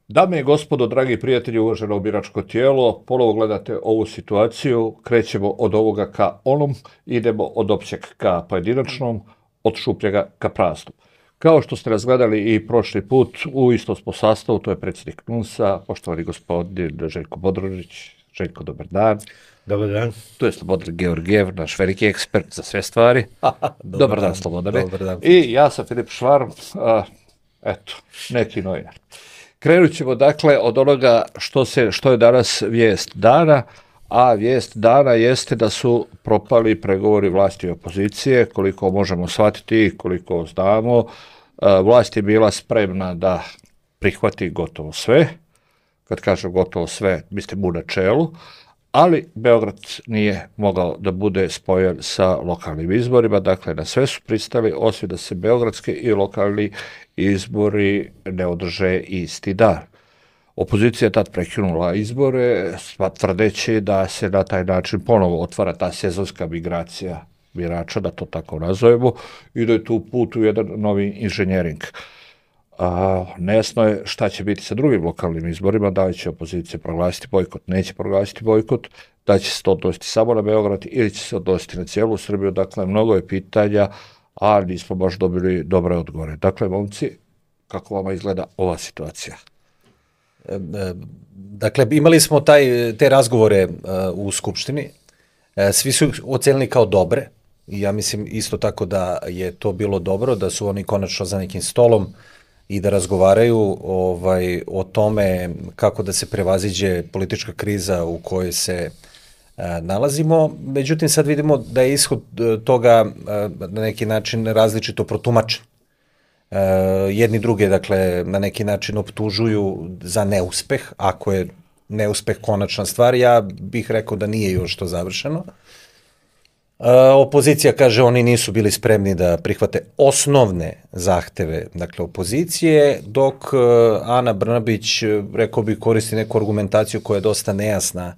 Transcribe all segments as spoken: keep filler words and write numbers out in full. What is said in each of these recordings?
Dame i gospodo, dragi prijatelji, uvaženo biračko tijelo, ponovo gledate ovu situaciju, krećemo od ovoga ka onom, idemo od općeg ka pojedinačnom, od šupljega ka praznom. Kao što ste razgledali i prošli put, u istom smo sastavu, to je predsjednik N U S-a, poštovani gospodin Željko Bodrožić. Željko, dobar dan. Dobar dan. Tu je Slobodan Georgijev, naš veliki ekspert za sve stvari. dobar, dobar dan, dan Slobodane. Dobar dan. I ja sam Filip Švarm, a, eto, neki novinar. Krenut ćemo dakle od onoga što, se, što je danas vijest dana, a vijest dana jeste da su propali pregovori vlasti i opozicije, koliko možemo shvatiti, koliko znamo. Vlast je bila spremna da prihvati gotovo sve, kad kažem gotovo sve, mislim u načelu, ali Beograd nije mogao da bude spojen sa lokalnim izborima, dakle na sve su pristali, osim da se beogradski i lokalni izbori ne održe isti dan. Opozicija je tad prekinula izbore, tvrdeći da se na taj način ponovo otvara ta sezonska migracija birača, da to tako nazovemo, i da je tu put u jedan novi inženjering. A, nejasno je šta će biti sa drugim lokalnim izborima, da li će opozicija proglasiti bojkot, neće proglasiti bojkot, da će se to odnositi samo na Beograd ili će se odnositi na cijelu Srbiju, dakle mnogo je pitanja, a nismo baš dobili dobre odgovore. Dakle, momci, kako vama izgleda ova situacija? Dakle, imali smo taj, te razgovore u Skupštini, svi su ocenili kao dobre i ja mislim isto tako da je to bilo dobro, da su oni konačno za nekim stolom i da razgovaraju ovaj, o tome kako da se prevaziđe politička kriza u kojoj se a, nalazimo. Međutim, sad vidimo da je ishod toga a, na neki način različito protumačen. A, jedni druge, dakle, na neki način optužuju za neuspeh. Ako je neuspeh konačna stvar, ja bih rekao da nije još to završeno. Uh, opozicija kaže oni nisu bili spremni da prihvate osnovne zahteve, dakle opozicije, dok uh, Ana Brnabić, rekao bi, koristi neku argumentaciju koja je dosta nejasna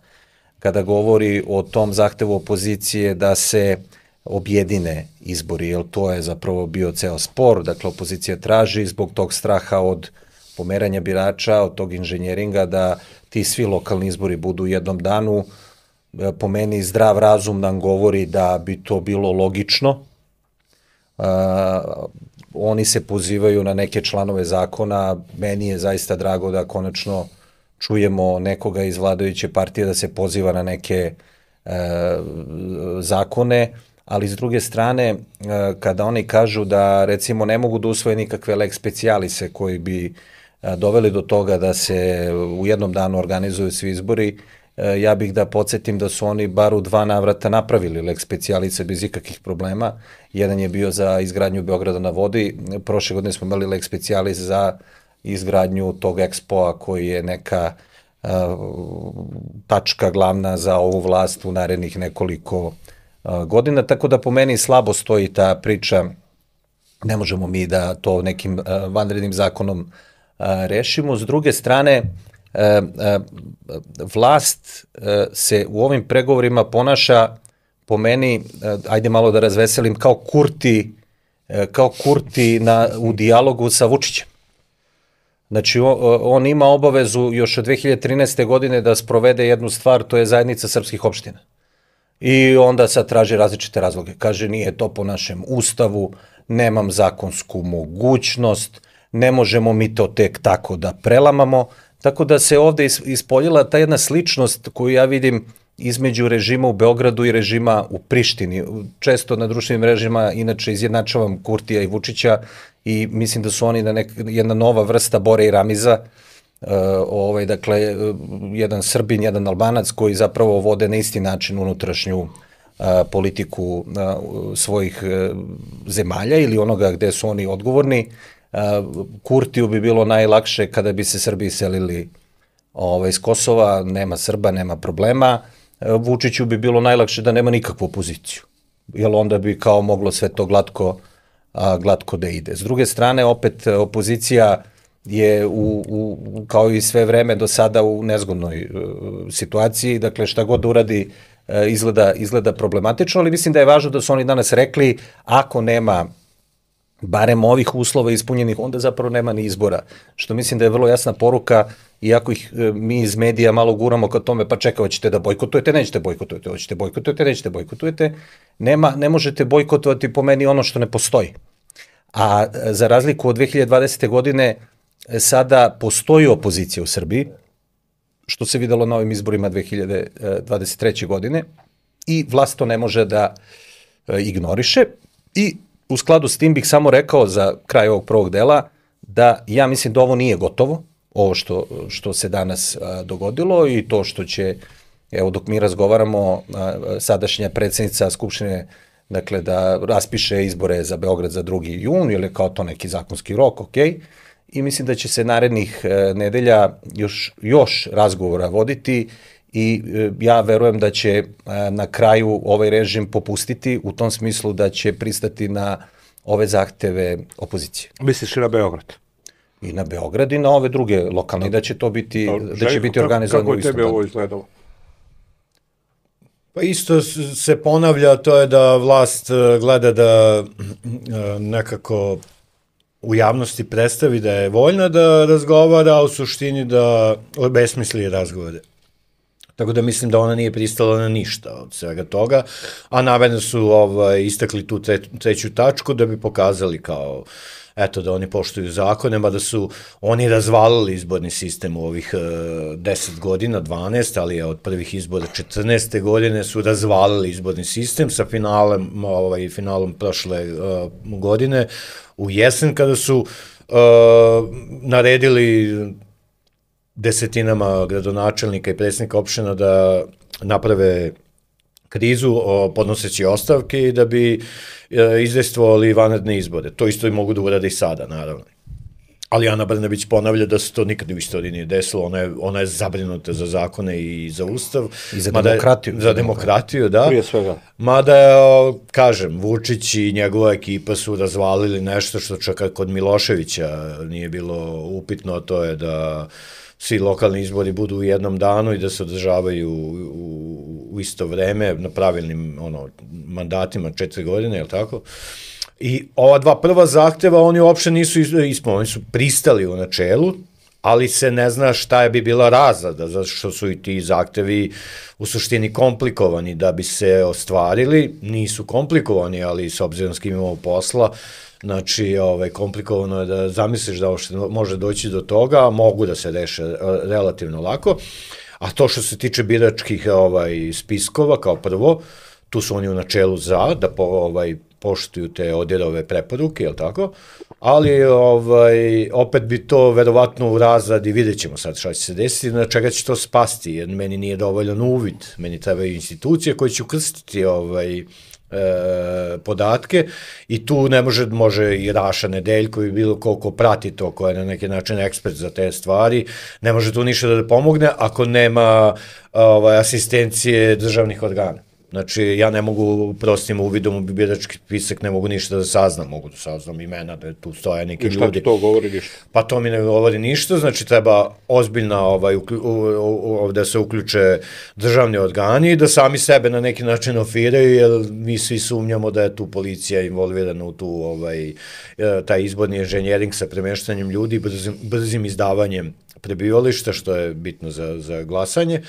kada govori o tom zahtevu opozicije da se objedine izbori, jer to je zapravo bio ceo spor. Dakle, opozicija traži zbog tog straha od pomeranja birača, od tog inženjeringa, da ti svi lokalni izbori budu u jednom danu. Po meni zdrav razum nam govori da bi to bilo logično. Uh, oni se pozivaju na neke članove zakona. Meni je zaista drago da konačno čujemo nekoga iz vladajuće partije da se poziva na neke uh, zakone, ali s druge strane, uh, kada oni kažu da recimo ne mogu da usvoje nikakve lex specialise koji bi uh, doveli do toga da se u jednom danu organizuju svi izbori, ja bih da podsjetim da su oni bar u dva navrata napravili lex specialise bez ikakvih problema. Jedan je bio za izgradnju Beograda na vodi, prošle godine smo imali lex specialis za izgradnju tog ekspoa koji je neka uh, tačka glavna za ovu vlast u narednih nekoliko uh, godina, tako da po meni slabo stoji ta priča, ne možemo mi da to nekim uh, vanrednim zakonom uh, rešimo. S druge strane, E, e, vlast e, se u ovim pregovorima ponaša, po meni, e, ajde malo da razveselim, kao Kurti, e, kao Kurti na, u dijalogu sa Vučićem. Znači, on, on ima obavezu još od dve hiljade trinaeste. godine da sprovede jednu stvar, to je zajednica srpskih opština. I onda sad traži različite razloge. Kaže, nije to po našem ustavu, nemam zakonsku mogućnost, ne možemo mi to tek tako da prelamamo. Tako da se ovde ispoljila ta jedna sličnost koju ja vidim između režima u Beogradu i režima u Prištini. Često na društvenim mrežama inače izjednačavam Kurtija i Vučića i mislim da su oni na nek, jedna nova vrsta Bore i Ramiza, uh, ovaj, dakle, jedan Srbin, jedan Albanac koji zapravo vode na isti način unutrašnju uh, politiku uh, svojih uh, zemalja ili onoga gde su oni odgovorni. Kurtiju bi bilo najlakše kada bi se Srbi iselili ovaj, iz Kosova, nema Srba, nema problema. Vučiću bi bilo najlakše da nema nikakvu opoziciju, jer onda bi kao moglo sve to glatko, a, glatko da ide. S druge strane, opet opozicija je u, u, kao i sve vreme do sada u nezgodnoj uh, situaciji, dakle šta god da uradi uh, izgleda, izgleda problematično, ali mislim da je važno da su oni danas rekli, ako nema barem ovih uslova ispunjenih, onda zapravo nema ni izbora. Što mislim da je vrlo jasna poruka, iako ih mi iz medija malo guramo ka tome, pa čekaj, hoćete da bojkotujete, nećete bojkotujete, hoćete bojkotujete, nećete bojkotujete, nema, ne možete bojkotovati po meni ono što ne postoji. A za razliku od dve hiljade dvadesete. godine, sada postoji opozicija u Srbiji, što se videlo na ovim izborima dve hiljade dvadeset treće. godine, i vlast to ne može da ignoriše. I u skladu s tim bih samo rekao za kraj ovog prvog dela da ja mislim da ovo nije gotovo, ovo što, što se danas a, dogodilo i to što će, evo dok mi razgovaramo, a, sadašnja predsjednica Skupštine, dakle da raspiše izbore za Beograd za drugi jun ili kao to neki zakonski rok, ok, i mislim da će se narednih a, nedelja još, još razgovora voditi i a, ja verujem da će a, na kraju ovaj režim popustiti u tom smislu da će pristati na ove zahteve opozicije. Misliš i na Beograd? I na Beograd i na ove druge lokalne, da će to biti, da će biti organizovano u istom danu. Kako je tebi ovo izgledalo? Pa isto se ponavlja, to je da vlast gleda da nekako u javnosti predstavi da je voljna da razgovara, a u suštini da obesmisli razgovore. Tako da mislim da ona nije pristala na ništa od svega toga, a namerno su ovaj, istakli tu tre, treću tačku da bi pokazali kao eto da oni poštuju zakone, mada su oni razvalili izborni sistem u ovih uh, deset godina, dvanaest, ali je od prvih izbora četrnaeste godine su razvalili izborni sistem sa finalem, ovaj, finalom prošle uh, godine u jesen kada su uh, naredili desetinama gradonačelnika i predsjednika opština da naprave krizu o, podnoseći ostavke i da bi e, izdejstvovali vanredne izbore. To isto i mogu da urade i sada, naravno. Ali Ana Brnabić ponavlja da se to nikad u istoriji nije desilo, ona je, ona je zabrinuta za zakone i za ustav. I za demokratiju. Je, za demokratiju, da. Prije svega. Mada, kažem, Vučić i njegova ekipa su razvalili nešto što čak kod Miloševića nije bilo upitno, to je da svi lokalni izbori budu u jednom danu i da se održavaju u, u, u isto vreme na pravilnim ono, mandatima četiri godine, je li tako? I ova dva prva zahteva oni uopšte nisu ispunili, oni su pristali u načelu, ali se ne zna šta je bi bila razlada, zato što su i ti zahtevi u suštini komplikovani da bi se ostvarili, nisu komplikovani, ali s obzirom s kim imamo posla, znači, ovaj, komplikovano je da zamisliš da uopšte može doći do toga, a mogu da se reše relativno lako. A to što se tiče biračkih ovaj, spiskova, kao prvo, tu su oni u načelu za, da po, ovaj, poštuju te odjerove preporuke, je li tako? Ali ovaj, opet bi to verovatno u razradi, vidjet ćemo sad šta će se desiti, na čega će to spasti, jer meni nije dovoljan uvid, meni trebaju institucije koje će ukrstiti ovaj, E, podatke i tu ne može, može i Raša Nedeljko i bilo koliko prati to, ko je na neki način ekspert za te stvari, ne može tu ništa da pomogne ako nema ovaj, asistencije državnih organa. Znači, ja ne mogu prostim uvidom u birački spisak, ne mogu ništa da saznam, mogu da saznam imena, da tu stoje neki ljudi. I šta ti to govori ništa? Pa to mi ne govori ništa, znači treba ozbiljna, ovaj, da se uključe državni organi i da sami sebe na neki način ofiraju, jer mi svi sumnjamo da je tu policija involvirana u tu, ovaj, taj izborni inženjering sa premeštanjem ljudi, brzim, brzim izdavanjem prebivališta, što je bitno za, za glasanje.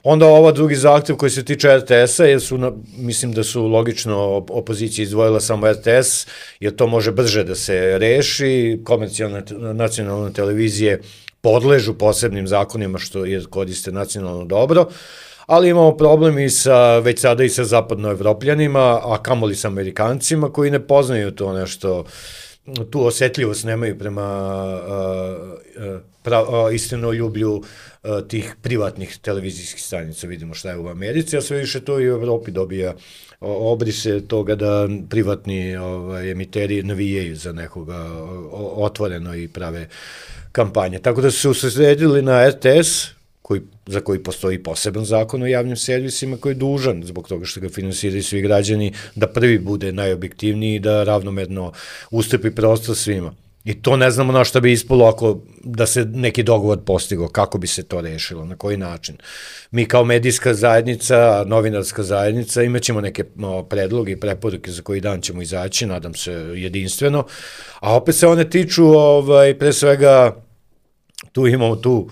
Onda ova drugi zahtev koji se tiče er te esa, jer su, na, mislim da su logično opozicija izdvojila samo er te es, jer to može brže da se reši, komercijalne nacionalne televizije podležu posebnim zakonima što je koriste nacionalno dobro, ali imamo problem i sa, već sada i sa zapadnoevropljanima, a kamoli sa Amerikancima koji ne poznaju to nešto, tu osetljivost nemaju prema uh, uh, pra, uh, istinoljublju uh, tih privatnih televizijskih stanica. Vidimo šta je u Americi, a sve više to i u Evropi dobija obrise toga da privatni ovaj, emiteri navijaju za nekoga otvoreno i prave kampanje. Tako da su se usredili na er te es, koji, za koji postoji poseban zakon o javnim servisima koji je dužan, zbog toga što ga finansiraju svi građani, da prvi bude najobjektivniji i da ravnomerno ustupi prostor svima. I to ne znamo na šta bi ispalo ako da se neki dogovor postigo, kako bi se to rešilo, na koji način. Mi kao medijska zajednica, novinarska zajednica imaćemo neke no, predloge i preporuke za koji dan ćemo izaći, nadam se jedinstveno, a opet se one tiču ovaj, pre svega tu imamo tu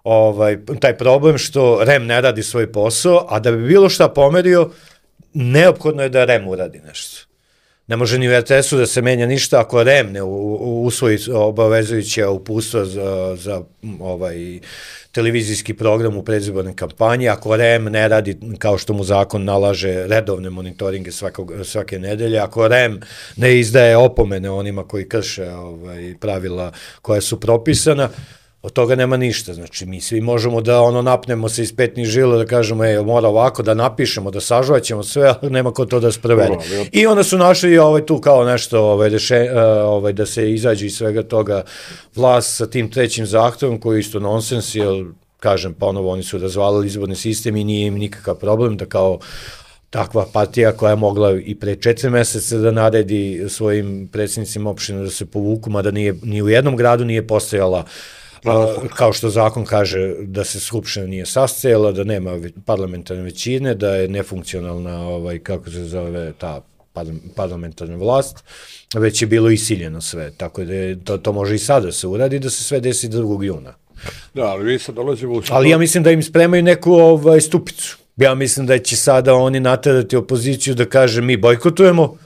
ovaj, taj problem što R E M ne radi svoj posao, a da bi bilo šta pomerio, neophodno je da R E M uradi nešto. Ne može ni u R T S-u da se menja ništa ako R E M ne usvoji obavezujuće uputstva za, za ovaj, televizijski program u predizbornoj kampanji, ako R E M ne radi, kao što mu zakon nalaže, redovne monitoringe svakog, svake nedelje, ako R E M ne izdaje opomene onima koji krše ovaj, pravila koja su propisana, od toga nema ništa, znači mi svi možemo da ono napnemo se iz petnih žila da kažemo ej, mora ovako da napišemo, da sažvaćemo sve, ali nema ko to da sprovede. I onda su našli ovaj, tu kao nešto ovaj, reše, ovaj, da se izađe iz svega toga vlast sa tim trećim zahtevom koji je isto nonsens, jer kažem ponovo oni su razvalili izborni sistem i nije im nikakav problem da kao takva partija koja je mogla i pre četiri meseca da naredi svojim predsjednicima opština da se povuku, mada nije, ni u jednom gradu nije postojala kao što zakon kaže da se skupština nije sastajala, da nema parlamentarne većine, da je nefunkcionalna, ovaj, kako se zove, ta parlamentarna vlast, već je bilo isiljeno sve, tako da je, to, to može i sada se uradi, da se sve desi drugog juna. Da, ali vi sad dolazimo u... Ali ja mislim da im spremaju neku ovaj, stupicu. Ja mislim da će sada oni naterati opoziciju da kaže mi bojkotujemo,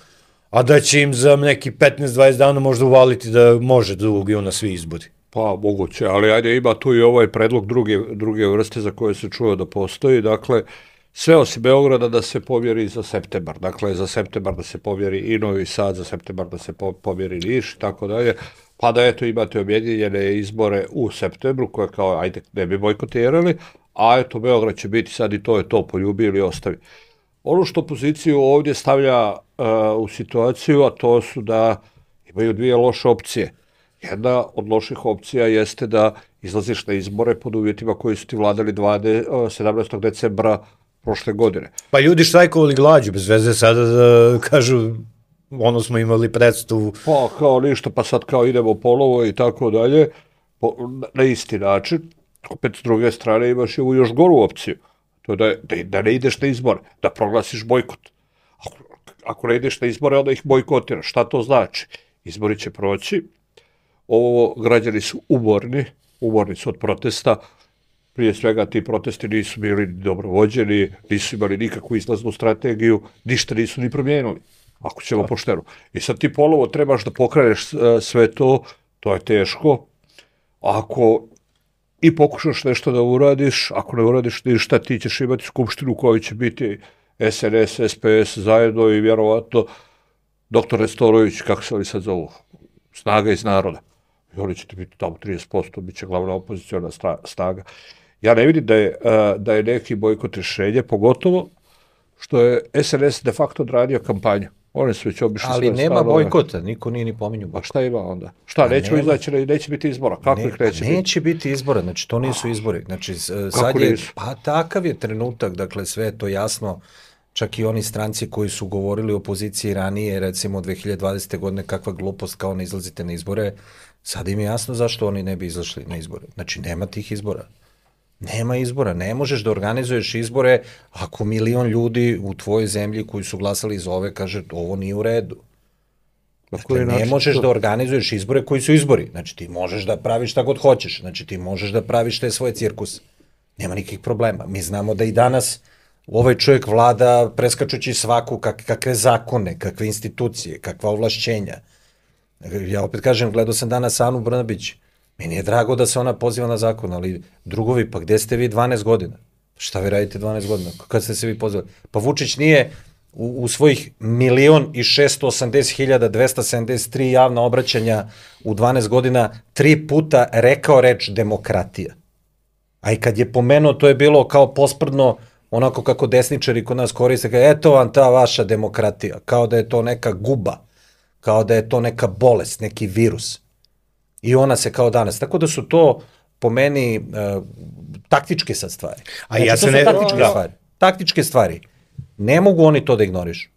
a da će im za neki petnaest dvadeset dana možda uvaliti da može drugog juna svi izbori. Pa, moguće, ali ajde, ima tu i ovaj predlog druge, druge vrste za koje se čuo da postoji, dakle, sve osim Beograda da se povjeri za septembar, dakle, za septembar da se povjeri i Novi Sad, za septembar da se povjeri Niš, tako dalje, pa da eto imate objedinjene izbore u septembru, koje kao, ajde, ne bi bojkotirali, a eto, Beograd će biti sad i to je to, poljubi ili ostavi. Ono što opoziciju ovdje stavlja uh, u situaciju, a to su da imaju dvije loše opcije. Jedna od loših opcija jeste da izlaziš na izbore pod uvjetima koji su ti vladali sedamnaestog decembra prošle godine. Pa ljudi štrajkovali glađu, bez veze sada da kažu, ono smo imali predstavu. Pa kao ništa, pa sad kao idemo polovo i tako dalje, po, na isti način. Opet s druge strane imaš i ovu još goru opciju, to da, da, da ne ideš na izbore, da proglasiš bojkot. Ako, ako ne ideš na izbore, onda ih bojkotiraš. Šta to znači? Izbori će proći. Ovo građani su umorni, umorni su od protesta, prije svega ti protesti nisu bili dobro vođeni, nisu imali nikakvu izlaznu strategiju, ništa nisu ni promijenili, ako ćemo pošteno. I sad ti polovo trebaš da pokreneš sve to, to je teško, ako i pokušaš nešto da uradiš, ako ne uradiš ništa, ti ćeš imati skupštinu u kojoj će biti S N S, S P S zajedno i vjerovatno doktor Nestorović, kako se li sad zovu, Snaga iz naroda. I oni će ti biti tamo trideset posto, bit će glavna opozicijona snaga. Ja ne vidim da je, da je neki bojkot rješenje, pogotovo što je S N S de facto odradio kampanju. Oni su već obišli ali nema stanove. Bojkota, niko nije ni pominju bojkota. A šta ima onda? Šta, nećemo izaći, neće biti izbora? Kako ne, ih neće biti? Neće biti izbora, znači to nisu izbori. Znači, sad je, pa takav je trenutak, dakle sve je to jasno. Čak i oni stranci koji su govorili o opoziciji ranije, recimo dve hiljade dvadesete. godine, kakva glupost kao ne izlazite na izbore, sad im je jasno zašto oni ne bi izašli na izbore. Znači, nema tih izbora. Nema izbora. Ne možeš da organizuješ izbore ako milion ljudi u tvojoj zemlji koji su glasali za ove kaže ovo nije u redu. Dakle, ne možeš da organizuješ izbore koji su izbori. Znači, ti možeš da praviš šta god hoćeš. Znači, ti možeš da praviš te svoje cirkus. Nema nikakvih problema. Mi znamo da i danas ovaj čovjek vlada preskačući svaku kak, kakve zakone, kakve institucije, kakva ovlašćenja. Ja opet kažem, gledao sam danas Anu Brnabić. Meni je drago da se ona poziva na zakon, ali drugovi, pa gde ste vi dvanaest godina? Šta vi radite dvanaest godina? Kad ste se vi pozivali? Pa Vučić nije u, u svojih milion i šesto osamdeset hiljada dvesta sedamdeset tri javna obraćanja u dvanaest godina tri puta rekao reč demokratija. A i kad je pomenuo, to je bilo kao posprdno onako kako desničari kod nas koriste, kao, eto vam ta vaša demokratija, kao da je to neka guba, kao da je to neka bolest, neki virus. I ona se kao danas. Tako da su to, po meni, uh, taktičke sad stvari. A znači, ja se ne... Taktičke no. stvari. Taktičke stvari. Ne mogu oni to da ignorišu.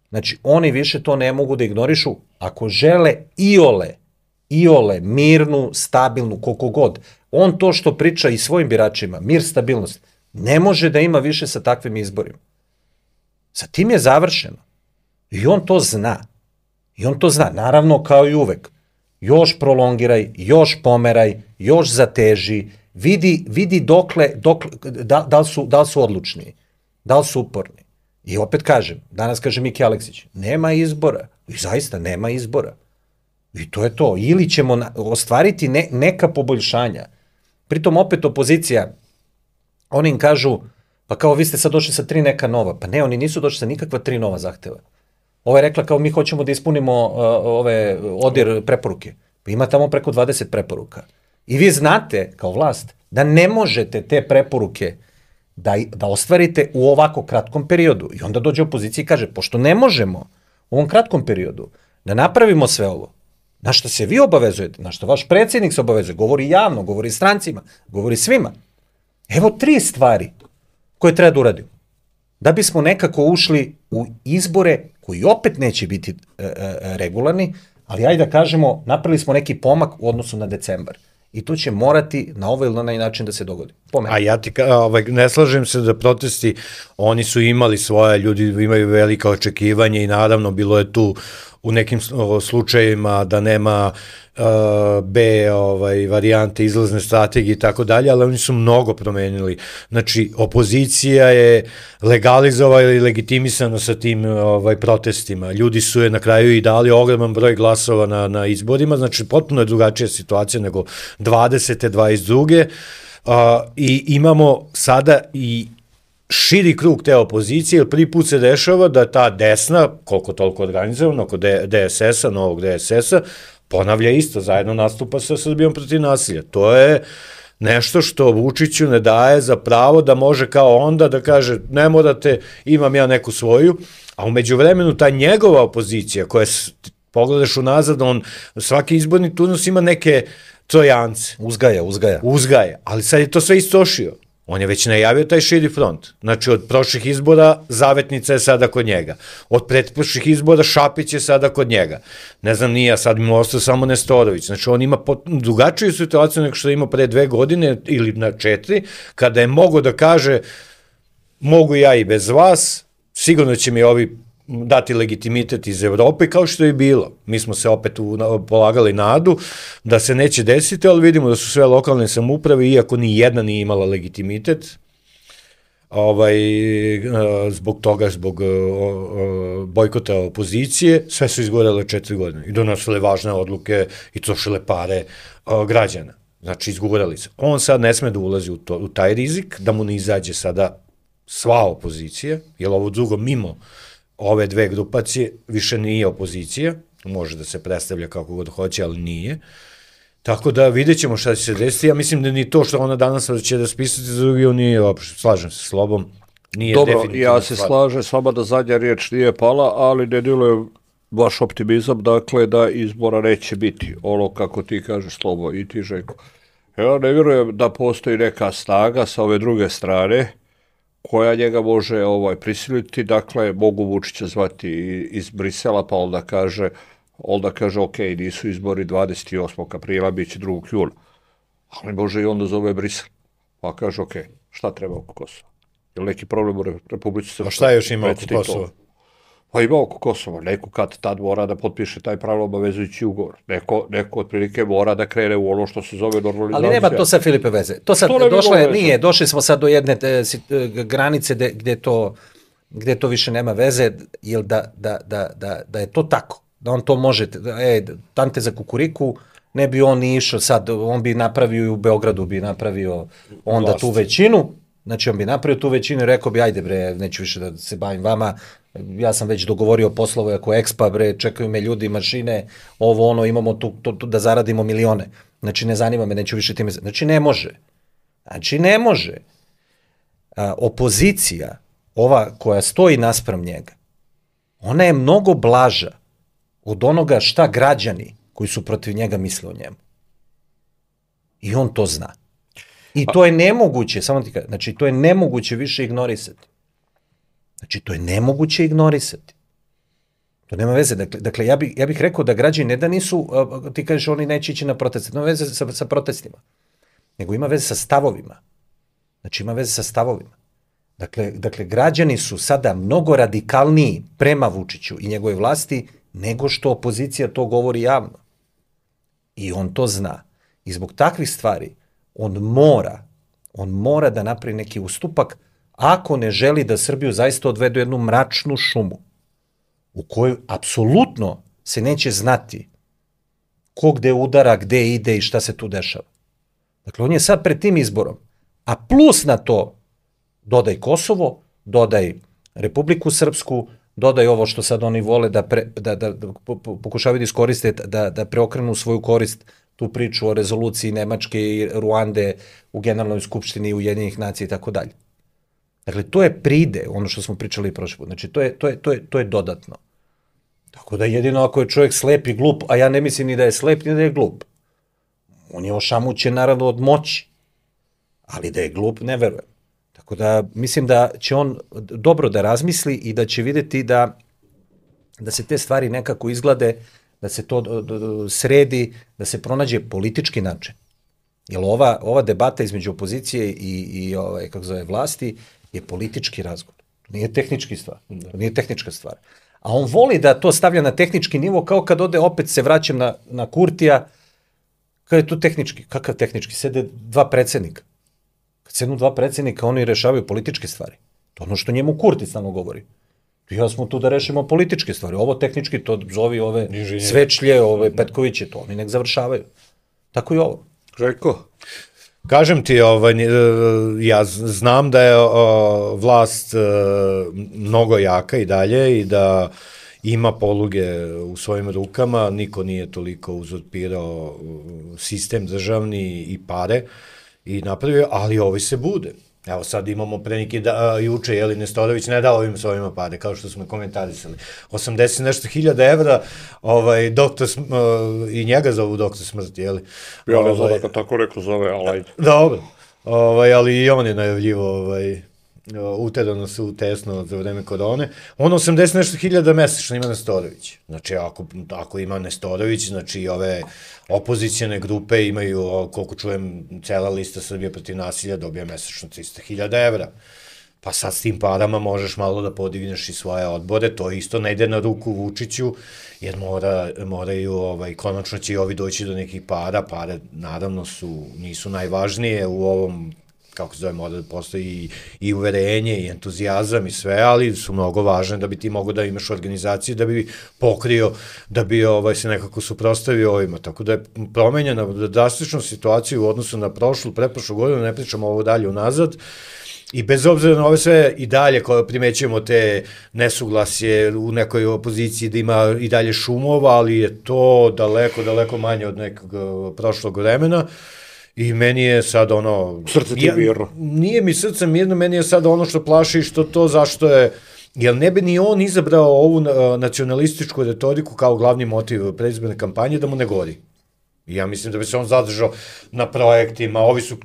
Znači, oni više to ne mogu da ignorišu ako žele iole iole mirnu, stabilnu, koliko god. On to što priča i svojim biračima, mir, stabilnost, ne može da ima više sa takvim izborima. Sa tim je završeno. I on to zna. I on to zna. Naravno, kao i uvek. Još prolongiraj, još pomeraj, još zateži, vidi, vidi dokle, dokle da, da, li su, da li su odlučni, da li su uporni. I opet kažem, danas kaže Miki Aleksić, nema izbora. I zaista nema izbora. I to je to. Ili ćemo ostvariti ne, neka poboljšanja. Pritom opet opozicija, oni im kažu, pa kao vi ste sad došli sa tri neka nova. Pa ne, oni nisu došli sa nikakva tri nova zahteva. Ovo je rekla kao mi hoćemo da ispunimo uh, ove odir preporuke. Pa ima tamo preko dvadeset preporuka. I vi znate, kao vlast, da ne možete te preporuke da, da ostvarite u ovako kratkom periodu. I onda dođe opozicija i kaže, pošto ne možemo u ovom kratkom periodu da napravimo sve ovo, na što se vi obavezujete, na što vaš predsjednik se obavezuje, govori javno, govori strancima, govori svima. Evo tri stvari koje treba da uradimo. Da bismo nekako ušli u izbore koji opet neće biti e, e, regularni, ali ajde da kažemo, napravili smo neki pomak u odnosu na decembar. I to će morati na ovaj ili na onaj način da se dogodi. A ja ti ka, ovaj, ne slažem se da protesti, oni su imali svoje, ljudi imaju velika očekivanja i naravno bilo je tu u nekim slučajevima da nema uh, B ovaj, varijante izlazne strategije i tako dalje, ali oni su mnogo promenili. Znači, opozicija je legalizovala i legitimisana sa tim ovaj, protestima. Ljudi su je na kraju i dali ogroman broj glasova na, na izborima, znači potpuno je drugačija situacija nego dvadesete, dvadeset druge. Uh, I imamo sada i širi krug te opozicije, jer prvi put se dešava da ta desna, koliko toliko organizovana, oko D S S-a, novog D S S-a, ponavlja isto, zajedno nastupa sa Srbijom protiv nasilja. To je nešto što Vučiću ne daje za pravo da može kao onda da kaže ne morate, imam ja neku svoju, a umeđu vremenu ta njegova opozicija koja, pogledaš unazad, on svaki izborni turnus ima neke trojance. Uzgaja, uzgaja. Uzgaja, ali sad je to sve istošio. On je već najavio taj širi front. Znači, od prošlih izbora Zavetnica je sada kod njega. Od pretprošlih izbora Šapić je sada kod njega. Ne znam, nije, sad mi ostao samo Nestorović. Znači, on ima drugačiju situaciju nego što ima pre dve godine ili na četiri, kada je mogo da kaže mogu ja i bez vas, sigurno će mi ovi dati legitimitet iz Evrope, kao što je bilo. Mi smo se opet u, polagali nadu da se neće desiti, ali vidimo da su sve lokalne samouprave, iako ni jedna nije imala legitimitet, ovaj, zbog toga, zbog bojkota opozicije, sve su izgorele četiri godine i donosile važne odluke i trošile pare građana. Znači, izgorali se. On sad ne sme da ulazi u, to, u taj rizik, da mu ne izađe sada sva opozicija, jer ovo drugo mimo ove dve grupacije više nije opozicija, može da se predstavlja kako god hoće, ali nije. Tako da vidjet ćemo šta će se desiti. Ja mislim da ni to što ona danas će da spisati za drugi, on nije uopšte, slažem se s Slobom, nije dobro, definitivno. Ja se slažem s vama da zadnja riječ nije pala, ali ne djeluje vaš optimizam, dakle da izbora neće biti, ono kako ti kažeš Slobo i ti Željko. Ja ne vjerujem da postoji neka snaga sa ove druge strane koja njega može ovaj prisiliti, dakle mogu Vučića zvati iz Brisela, pa onda kaže, onda kaže ok, nisu izbori dvadeset osmog aprila, bit će drugog jula, ali može i onda zove Brisel, pa kaže ok, šta treba oko Kosova? Je li neki problem u Republici Srpskoj? A šta još ima oko Kosova? Pa ima oko Kosova, neko kad tad mora da potpiše taj pravno obavezujući ugovor. Neko, neko otprilike mora da krene u ono što se zove normalizacija. Ali nema to sa Filipe veze. To sad to došlo je, nije, došli smo sad do jedne te, granice de, gde, to, gde to više nema veze, jer da, da, da, da, da je to tako, da on to može, e, tante za kukuriku, ne bi on ni išao sad, on bi napravio i u Beogradu, bi napravio onda Vlast. Tu većinu, znači on bi napravio tu većinu i rekao bi, ajde bre, neću više da se bavim vama, ja sam već dogovorio poslove ako Expa, bre, čekaju me ljudi, mašine, ovo, ono, imamo tu, tu, tu da zaradimo milione. Znači, ne zanima me, neću više time... Znači, ne može. Znači, ne može. A, opozicija, ova koja stoji naspram njega, ona je mnogo blaža od onoga šta građani koji su protiv njega misle o njemu. I on to zna. I to je nemoguće, samo ti kažem, znači, to je nemoguće više ignorisati. Znači, to je nemoguće ignorisati. To nema veze. Dakle, dakle ja, bih, ja bih rekao da građani ne da nisu, ti kažeš oni neće ići na proteste, nema veze sa, sa protestima, nego ima veze sa stavovima. Znači ima veze sa stavovima. Dakle, dakle, građani su sada mnogo radikalniji prema Vučiću i njegove vlasti nego što opozicija to govori javno. I on to zna. I zbog takvih stvari on mora, on mora da napravi neki ustupak ako ne želi da Srbiju zaista odvede u jednu mračnu šumu u kojoj apsolutno se neće znati ko gde udara, gde ide i šta se tu dešava. Dakle, on je sad pred tim izborom, a plus na to dodaj Kosovo, dodaj Republiku Srpsku, dodaj ovo što sad oni vole da, pre, da, da, da pokušavaju da iskoriste, da, da preokrenu svoju korist tu priču o rezoluciji Nemačke i Ruande u Generalnoj skupštini Ujedinjenih nacija i tako dalje. Dakle, to je pride, ono što smo pričali prošli put. Znači, to je, to je, to je, to je dodatno. Tako da jedino ako je čovjek slep i glup, a ja ne mislim ni da je slep, ni da je glup. On je ošamućen naravno od moći, ali da je glup, ne verujem. Tako da mislim da će on dobro da razmisli i da će vidjeti da, da se te stvari nekako izglade, da se to sredi, da se pronađe politički način. Jer ova, ova debata između opozicije i, i ovaj, kako zove, vlasti je politički razgovor. Nije tehnički stvar. Nije tehnička stvar. A on voli da to stavlja na tehnički nivo, kao kad ode, opet se vraćam na, na Kurtija, kad je to tehnički. Kakav tehnički? Sede dva predsjednika. Kad sednu dva predsjednika, oni rešavaju političke stvari. To ono što njemu Kurti stalno govori. Ja smo tu da rešimo političke stvari. Ovo tehnički, to zovi ove Inženjer. Svečlje, ove Petkoviće, to oni nek završavaju. Tako i ovo. Željko? Kažem ti, ovaj, ja znam da je vlast mnogo jaka i dalje i da ima poluge u svojim rukama, niko nije toliko uzurpirao sistem državni i pare i napravio, ali ovi se bude. Evo sad imamo pre neki da, juče, jeli, Nestorović ne dao ovim svojima pare, kao što smo komentarisali. osamdeset nešto hiljada evra, ovaj, doktor, uh, i njega zovu doktor smrti, jeli? Ja ne znam da ga tako rekao zove, ali ajde. Dobro, ovaj, ali i on je najavljivo, ovaj, uterano su tesno za vreme korone. On osamdeset nešto hiljada mesečno ima Nestorović. Znači, ako, ako ima Nestorović, znači ove opozicijane grupe imaju, koliko čujem, cela lista Srbije protiv nasilja dobija mesečno trista hiljada evra. Pa sad s tim parama možeš malo da podigneš i svoje odbore, to isto ne ide na ruku Vučiću, jer mora, moraju, ovaj, konačno će i ovi doći do nekih para, pare naravno su, nisu najvažnije u ovom, kako se zove, mora da postoji i, i uverenje i entuzijazam i sve, ali su mnogo važne da bi ti mogo da imaš organizaciju, da bi pokrio, da bi ovaj, se nekako suprostavio ovima. Tako da je promenjena drastična situacija u odnosu na prošlu, pretprošlu godinu, ne pričamo ovo dalje unazad, i bez obzira na ove sve i dalje koje primećujemo te nesuglasje u nekoj opoziciji da ima i dalje šumova, ali je to daleko, daleko manje od nekog prošlog vremena. I meni je sad ono... Srce ti mirno. Nije mi srce mirno, meni je sad ono što plaši, što to zašto je... Jer ne bi ni on izabrao ovu nacionalističku retoriku kao glavni motiv predizborne kampanje da mu ne gori. I ja mislim da bi se on zadržao na projektima, ovi su...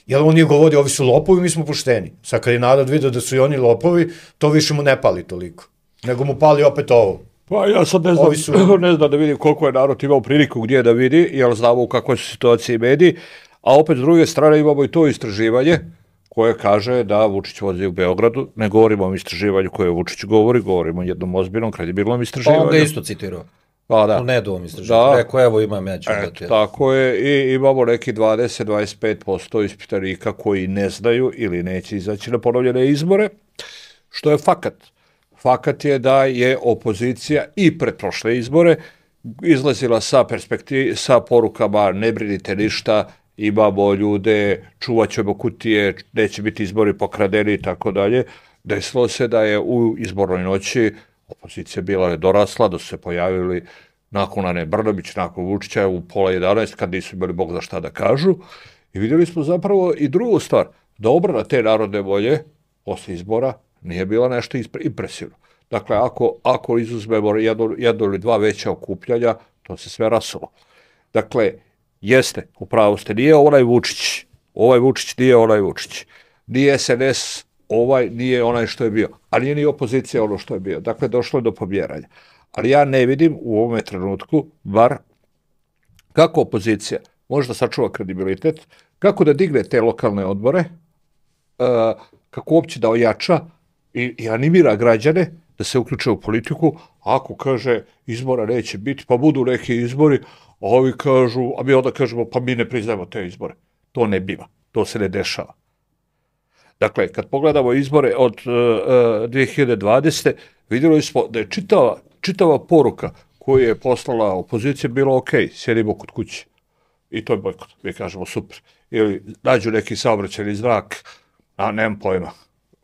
Jer on je govorio, ovi su lopovi, mi smo pošteni. Sad kad je narod vidio da su i oni lopovi, to više mu ne pali toliko. Nego mu pali opet ovo. Pa ja sad ne znam, su... ne znam da vidim koliko je narod imao priliku gdje da vidi, jer znamo u kakvoj su situaciji mediji, a opet s druge strane imamo i to istraživanje koje kaže da Vučić vozi u Beogradu. Ne govorimo o istraživanju koje Vučić govori, govorimo o jednom ozbiljnom, kredibilnom istraživanju. Pa on ga isto citirao. Pa da. U nedovom istraživanju. Rekao, evo imam, ja ću dati. Tako je, i imamo neki dvadeset do dvadeset pet posto ispitanika koji ne znaju ili neće izaći na ponovljene izbore, što je fakat. Fakat je da je opozicija i pred prošle izbore izlazila sa perspektiv, sa porukama ne brinite ništa, imamo ljude, čuvat ćemo kutije, neće biti izbori pokradeni i tako dalje. Desilo se da je u izbornoj noći opozicija bila nedorasla, da su se pojavili nakon Ane Brnabić, nakon Vučića u pola jedanaest, kad nisu imali Bog za šta da kažu. I vidjeli smo zapravo i drugu stvar, da obrana te narodne volje posle izbora nije bila nešto impresivno. Dakle, ako, ako izuzmemo jedno, jedno ili dva veća okupljanja, to se sve rasulo. Dakle, jeste, upravo ste, nije onaj Vučić, ovaj Vučić nije onaj Vučić, nije es en es ovaj, nije onaj što je bio, a nije ni opozicija ono što je bio. Dakle, došlo je do pomjeranja. Ali ja ne vidim u ovome trenutku, bar, kako opozicija može da sačuva kredibilitet, kako da digne te lokalne odbore, kako uopće da ojača i, i animira građane da se uključe u politiku. Ako kaže izbora neće biti, pa budu neki izbori, a ovi kažu, a mi onda kažemo pa mi ne priznajemo te izbore. To ne biva, to se ne dešava. Dakle, kad pogledamo izbore od uh, dvije hiljade dvadesete. vidjeli smo da je čitava, čitava poruka koju je poslala opozicija bilo ok, sjedimo kod kuće. I to je bojkot, mi kažemo super. Ili nađu neki saobraćajni znak, a nemam pojma,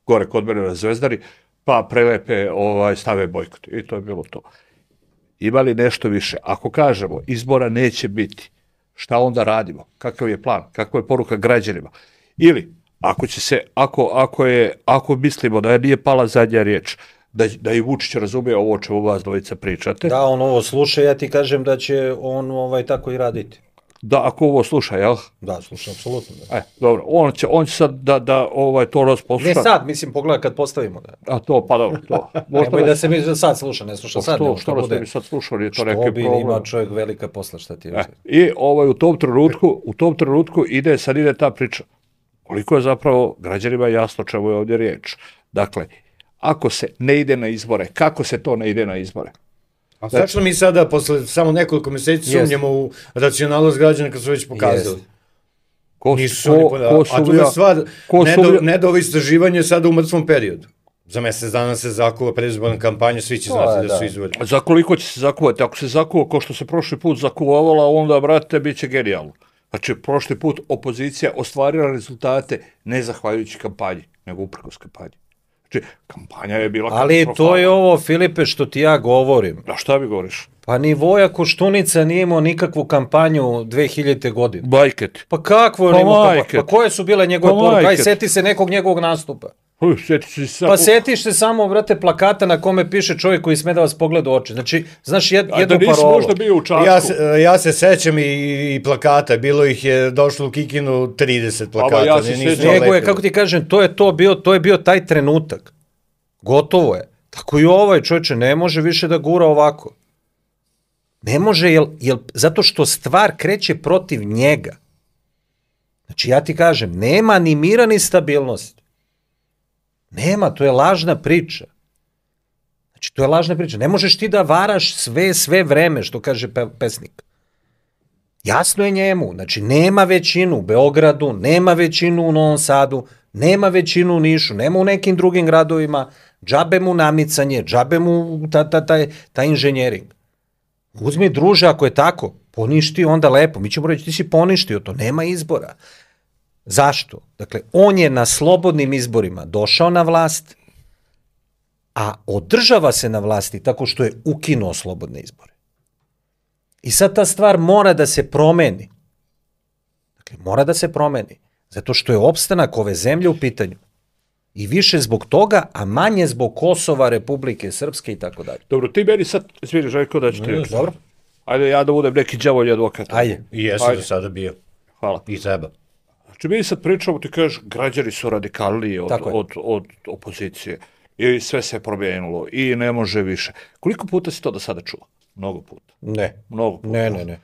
gore kod mene na Zvezdari, pa prelepe, ovaj, stave bojkot. I to je bilo to. Ima li nešto više? Ako kažemo izbora neće biti, šta onda radimo? Kakav je plan? Kakva je poruka građanima? Ili, ako će se, ako, ako je, ako mislimo da nije pala zadnja riječ, da, da i Vučić razumije ovo o čemu vas dvojica pričate. Da, on ovo sluša, ja ti kažem da će on ovaj, tako i raditi. Da, ako ovo sluša, jel? Da, sluša, apsolutno. Da. E, dobro, on će, on će sad da, da ovaj, to rasposluša. Ne sad, mislim, pogledaj kad postavimo. Da. A to, pa dobro, to. Nemoj da se mi sad sluša, ne sluša sad. Što, što bude. Mi sad slušali, je to neki problem. Što bi ima čovjek velika posla, šta ti je. E, I ovaj, u tom trenutku, u tom trenutku ide, sad ide ta priča. Koliko je zapravo građanima jasno čemu je ovdje riječ. Dakle, ako se ne ide na izbore, kako se to ne ide na izbore? A zašto mi sada, posle samo nekoliko mjeseci, sumnjamo u racionalnost građana kad su već pokazali? Ko, Nisu ko, oni ko a tu je stvar, ne da ovo istraživanje sada u mrtvom periodu. Za mjesec dana se zakuva predizborna kampanja, svi će znati da su izvori. Za koliko će se zakuvati? Ako se zakuva ko što se prošli put zakuvavala, onda, brate, bit će genijalno. Znači, prošli put opozicija ostvarila rezultate ne zahvaljujući kampanji, nego uprkos kampanji. Znači, kampanja je bila... Ali to je ovo, Filipe, što ti ja govorim. A šta mi govoriš? Pa ni Voja Koštunica nije imao nikakvu kampanju dve hiljadite. godine. Bajket. Pa kakvo je pa imao kampanju? Pa koje su bile njegove pa poruke? Aj, seti se nekog njegovog nastupa. Uj, seti se samo... Pa setiš se samo, brate, plakata na kome piše čovjek koji sme da vas pogleda u oči. Znači, znaš jed, jednu parolu. Da nisi možda bio u Čačku. Ja se, ja se sećam i, i plakata, bilo ih je došlo u Kikinu trideset plakata. Ja se Nego je, kako ti kažem, to je, to, bio, to je bio taj trenutak. Gotovo je. Tako i ovaj čovječe ne može više da gura ovako. Ne može, jel, jel, zato što stvar kreće protiv njega. Znači, ja ti kažem, nema ni mira ni stabilnosti. Nema, to je lažna priča. Znači, to je lažna priča. Ne možeš ti da varaš sve, sve vreme, što kaže pe, pesnik. Jasno je njemu. Znači, nema većinu u Beogradu, nema većinu u Novom Sadu, nema većinu u Nišu, nema u nekim drugim gradovima, džabe mu namicanje, džabe mu ta, ta, taj, taj inženjering. Uzmi, druže, ako je tako, poništi onda lepo. Mi ćemo reći, ti si poništio to, nema izbora. Zašto? Dakle, on je na slobodnim izborima došao na vlast, a održava se na vlasti tako što je ukinuo slobodne izbore. I sad ta stvar mora da se promeni. Dakle, mora da se promeni. Zato što je opstanak ove zemlje u pitanju. I više zbog toga, a manje zbog Kosova, Republike Srpske i tako dalje. Dobro, ti meni sad, zviri, Željko, da ću ti reći. Dobro. Ajde, ja da budem neki đavolji advokat. Ajde. I jesi do sada bio. Hvala. I treba. Znači, mi sad pričamo, ti kažeš, građani su radikalniji od, od, od opozicije. I sve se promijenilo. I ne može više. Koliko puta si to do sada čuo? Mnogo puta. Ne. Mnogo puta. Ne, ne, ne.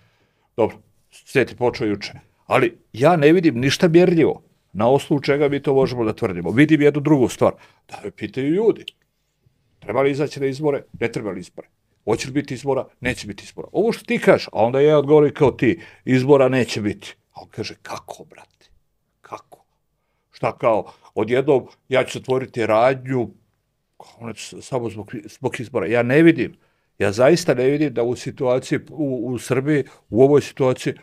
Dobro, svijeti počeo juče. Ali ja ne vidim ništa mjerljivo na osnovu čega mi to možemo da tvrdimo. Vidim jednu drugu stvar. Da me pitaju ljudi. Treba li izaći na izbore? Ne treba li izbore? Hoće li biti izbora? Neće biti izbora. Ovo što ti kažeš, a onda ja odgovorim kao ti, izbora neće biti. A on kaže, kako, brate? Kako? Šta kao, odjednom ja ću otvoriti radnju samo zbog, zbog izbora. Ja ne vidim. Ja zaista ne vidim da u situaciji, u, u Srbiji, u ovoj situaciji,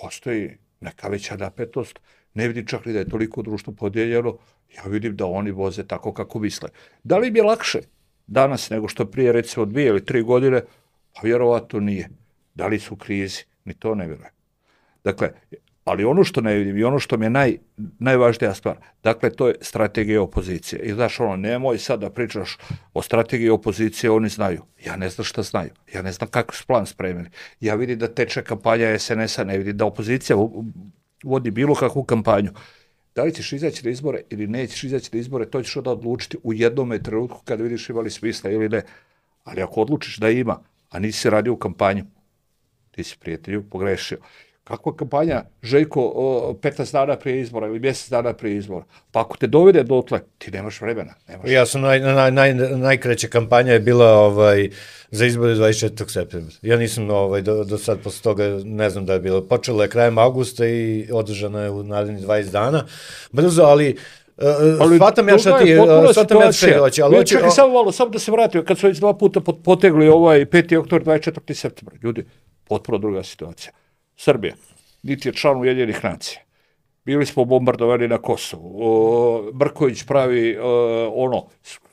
postoji neka veća napetost. Ne vidim čak ni da je toliko društvo podijeljeno. Ja vidim da oni voze tako kako misle. Da li mi je lakše danas nego što prije, recimo, dvije ili tri godine? Pa vjerovatno nije. Da li su u krizi? Ni to ne vjerujem. Dakle, ali ono što ne vidim i ono što mi je naj, najvažnija stvar, dakle, to je strategija opozicije. I znaš, ono, nemoj sad da pričaš o strategiji opozicije, oni znaju. Ja ne znam šta znaju. Ja ne znam kako su plan spremili. Ja vidim da teče kampanja es en es a, ne vidim da opozicija vodi bilo kakvu kampanju. Da li ćeš izaći na izbore ili nećeš izaći na izbore, to ćeš onda odlučiti u jednom trenutku kada vidiš imali smisla ili ne. Ali ako odlučiš da ima, a nisi radio u kampanju, ti si prijatelju pogrešio. Kakva kampanja, Željko, petnaest dana prije izbora ili mjesec dana prije izbora? Pa ako te dovede dotle, ti nemaš vremena. Nemaš ja sam, naj, naj, naj, najkraća kampanja je bila ovaj, za izbore dvadeset četvrtog septembra. Ja nisam ovaj, do, do sad posle toga, ne znam da je bilo. Počelo je krajem augusta i održano je u narednih dvadeset dana. Brzo, ali... Uh, shvatam ja šta ti, shvatam ja šta ti hoće, ali hoće... Čekaj, samo malo, samo da se vratio, kad su već dva puta potegli ovaj peti oktobar, dvadeset četvrtog septembra, ljudi, potpuno druga situacija. Srbija, niti je član Ujedinjenih nacija. Bili smo bombardovani na Kosovu. O, Brković pravi o, ono,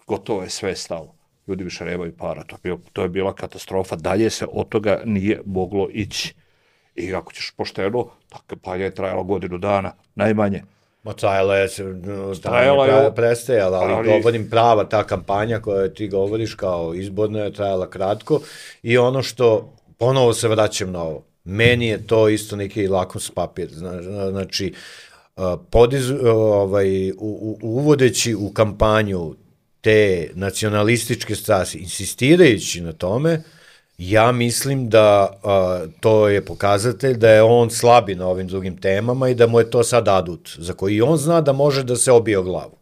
gotovo je sve stalo. Ljudi više nemaju para, to je, bio, to je bila katastrofa. Dalje se od toga nije moglo ići. I ako ćeš pošteno, ta kampanja je trajala godinu dana, najmanje. Ma trajala je, trajala je prestajala, ali, ali govorim prava ta kampanja koja ti govoriš kao izborna je trajala kratko i ono što, ponovo se vraćam na ovo, meni je to isto neki lakmus papir, znači podiz, ovaj, u, u, uvodeći u kampanju te nacionalističke strasti, insistirajući na tome, ja mislim da a, to je pokazatelj da je on slabi na ovim drugim temama i da mu je to sad adut, za koji on zna da može da se obije o glavu.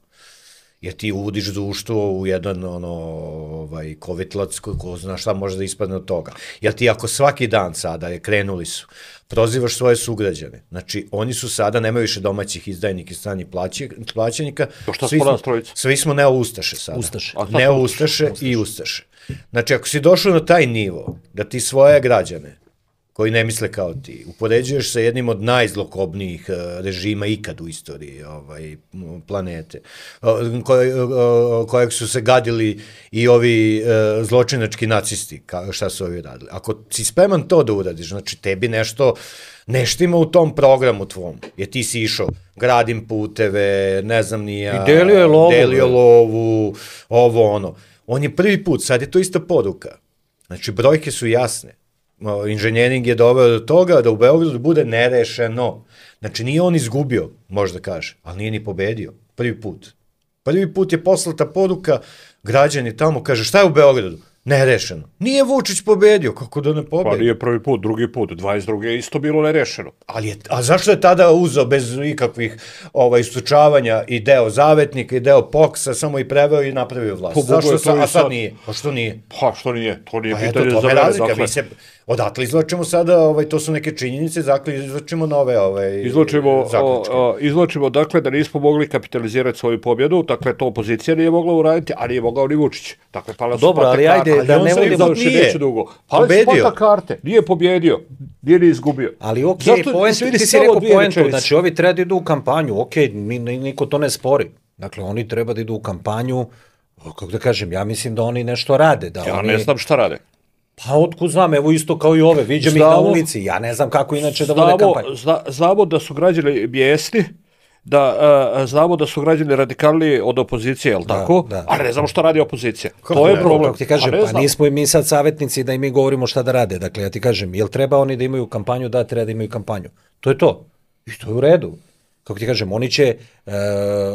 Jer ti uvodiš društvo u jedan ono, ovaj, kovitlac ko, ko zna šta može da ispadne od toga. Jer ti ako svaki dan sada, je krenuli su, prozivaš svoje sugrađane, znači oni su sada, nemaju više domaćih izdajnika i stranih plaćenika, svi smo, svi smo neo-ustaše sada. Ustaše. Neo-ustaše i ustaše. Znači ako si došao na taj nivo, da ti svoje građane, koji ne misle kao ti, upoređuješ sa jednim od najzlokobnijih režima ikad u istoriji ovaj, planete, koje, kojeg su se gadili i ovi zločinački nacisti, šta su ovi radili. Ako si spreman to da uradiš, znači tebi nešto neštima u tom programu tvom, jer ti si išao, gradim puteve, ne znam nija, i delio je lovu, delio lovu, ovo ono. On je prvi put, sad je to ista poruka. Znači, brojke su jasne. Inženjering je doveo do toga da u Beogradu bude nerešeno. Znači, nije on izgubio, možda kaže, ali nije ni pobedio. Prvi put. Prvi put je poslata poruka, građani tamo kaže, šta je u Beogradu? Nerešeno. Nije Vučić pobedio, kako da ne pobedi? Pa nije prvi put, drugi put, dvadeset druge je isto bilo nerešeno. Ali je, a zašto je tada uzeo bez ikakvih ovaj, istučavanja i deo Zavetnika i deo Poksa, samo i preveo i napravio vlast? Po zašto sa, a sad, sad nije? Pa što nije? Pa što nije? To nije pa pitanje eto, za mene. Dakle. Mi se odatle izlačimo sada, ovaj, to su neke činjenice, dakle izlačimo nove ovaj, izlačimo, zaključke. O, o, izlačimo, dakle, da nismo mogli kapitalizirati svoju pobjedu, dakle, to opozicija nije mogla uraditi, a nije mogao ni Vučić. Dakle, pala su dobro, ali ajde, karte, da ali ne vodimo nije dugo. Pali su karte, nije pobjedio, nije ni izgubio. Ali okej, okay, point, ti si rekao poentu, znači ovi treba da idu u kampanju, okej, okay, niko to ne spori. Dakle, oni treba da idu u kampanju, kako da kažem, ja mislim da oni nešto rade. Da ja oni... ne znam šta rade. Pa otkud znam, evo isto kao i ove, viđam ih na ulici, ja ne znam kako inače da vode kampanju. Zna, znamo da su građani bijesni, da uh, znamo da su građani radikalniji od opozicije, jel tako? Da, da. Ali ne znamo šta radi opozicija. Kako to je ne, problem. Kako ti kažem, pa znam. Nismo i mi sad savjetnici da i mi govorimo šta da rade. Dakle, ja ti kažem, jel treba oni da imaju kampanju? Da, treba da imaju kampanju. To je to. I to je u redu. Kako ti kažem, oni će, uh,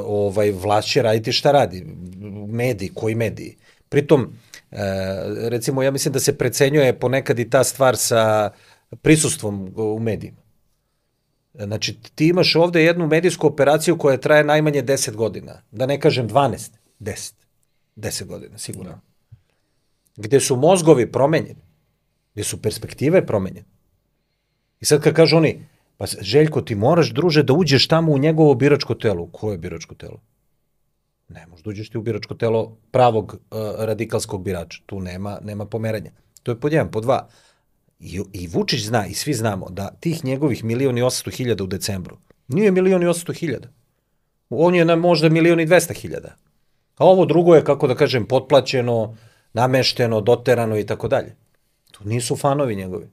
ovaj, vlast će raditi šta radi. Mediji, koji mediji? Pritom, uh, recimo, ja mislim da se precenjuje ponekad i ta stvar sa prisustvom u medijima. Znači, ti imaš ovde jednu medijsku operaciju koja traje najmanje deset godina. Da ne kažem dvanaest, deset. deset godina, sigurno. Gde su mozgovi promenjeni. Gde su perspektive promenjene. I sad kad kažu oni, pa Željko, ti moraš, druže, da uđeš tamo u njegovo biračko telo. Koje biračko telo? Ne možeš da uđeš ti u biračko telo pravog uh, radikalskog birača. Tu nema, nema pomeranja. To je pod jedan, pod dva. I, I Vučić zna, i svi znamo, da tih njegovih milion i osamsto hiljada u decembru, nije milion i osamsto hiljada. On je na možda milion i dvesta hiljada. A ovo drugo je, kako da kažem, potplaćeno, namešteno, doterano i tako dalje. To nisu fanovi njegovi.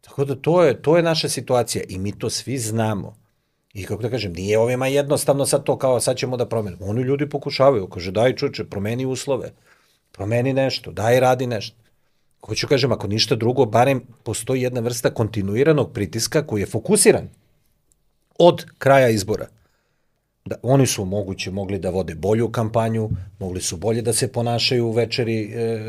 Tako da to je, to je naša situacija i mi to svi znamo. I kako da kažem, nije ovima jednostavno sad to kao sad ćemo da promenimo. Oni ljudi pokušavaju, kaže daj čuče, promeni uslove, promeni nešto, daj radi nešto. Hoću kažem, ako ništa drugo, barem postoji jedna vrsta kontinuiranog pritiska koji je fokusiran od kraja izbora. Da, oni su moguće mogli da vode bolju kampanju, mogli su bolje da se ponašaju u večeri e,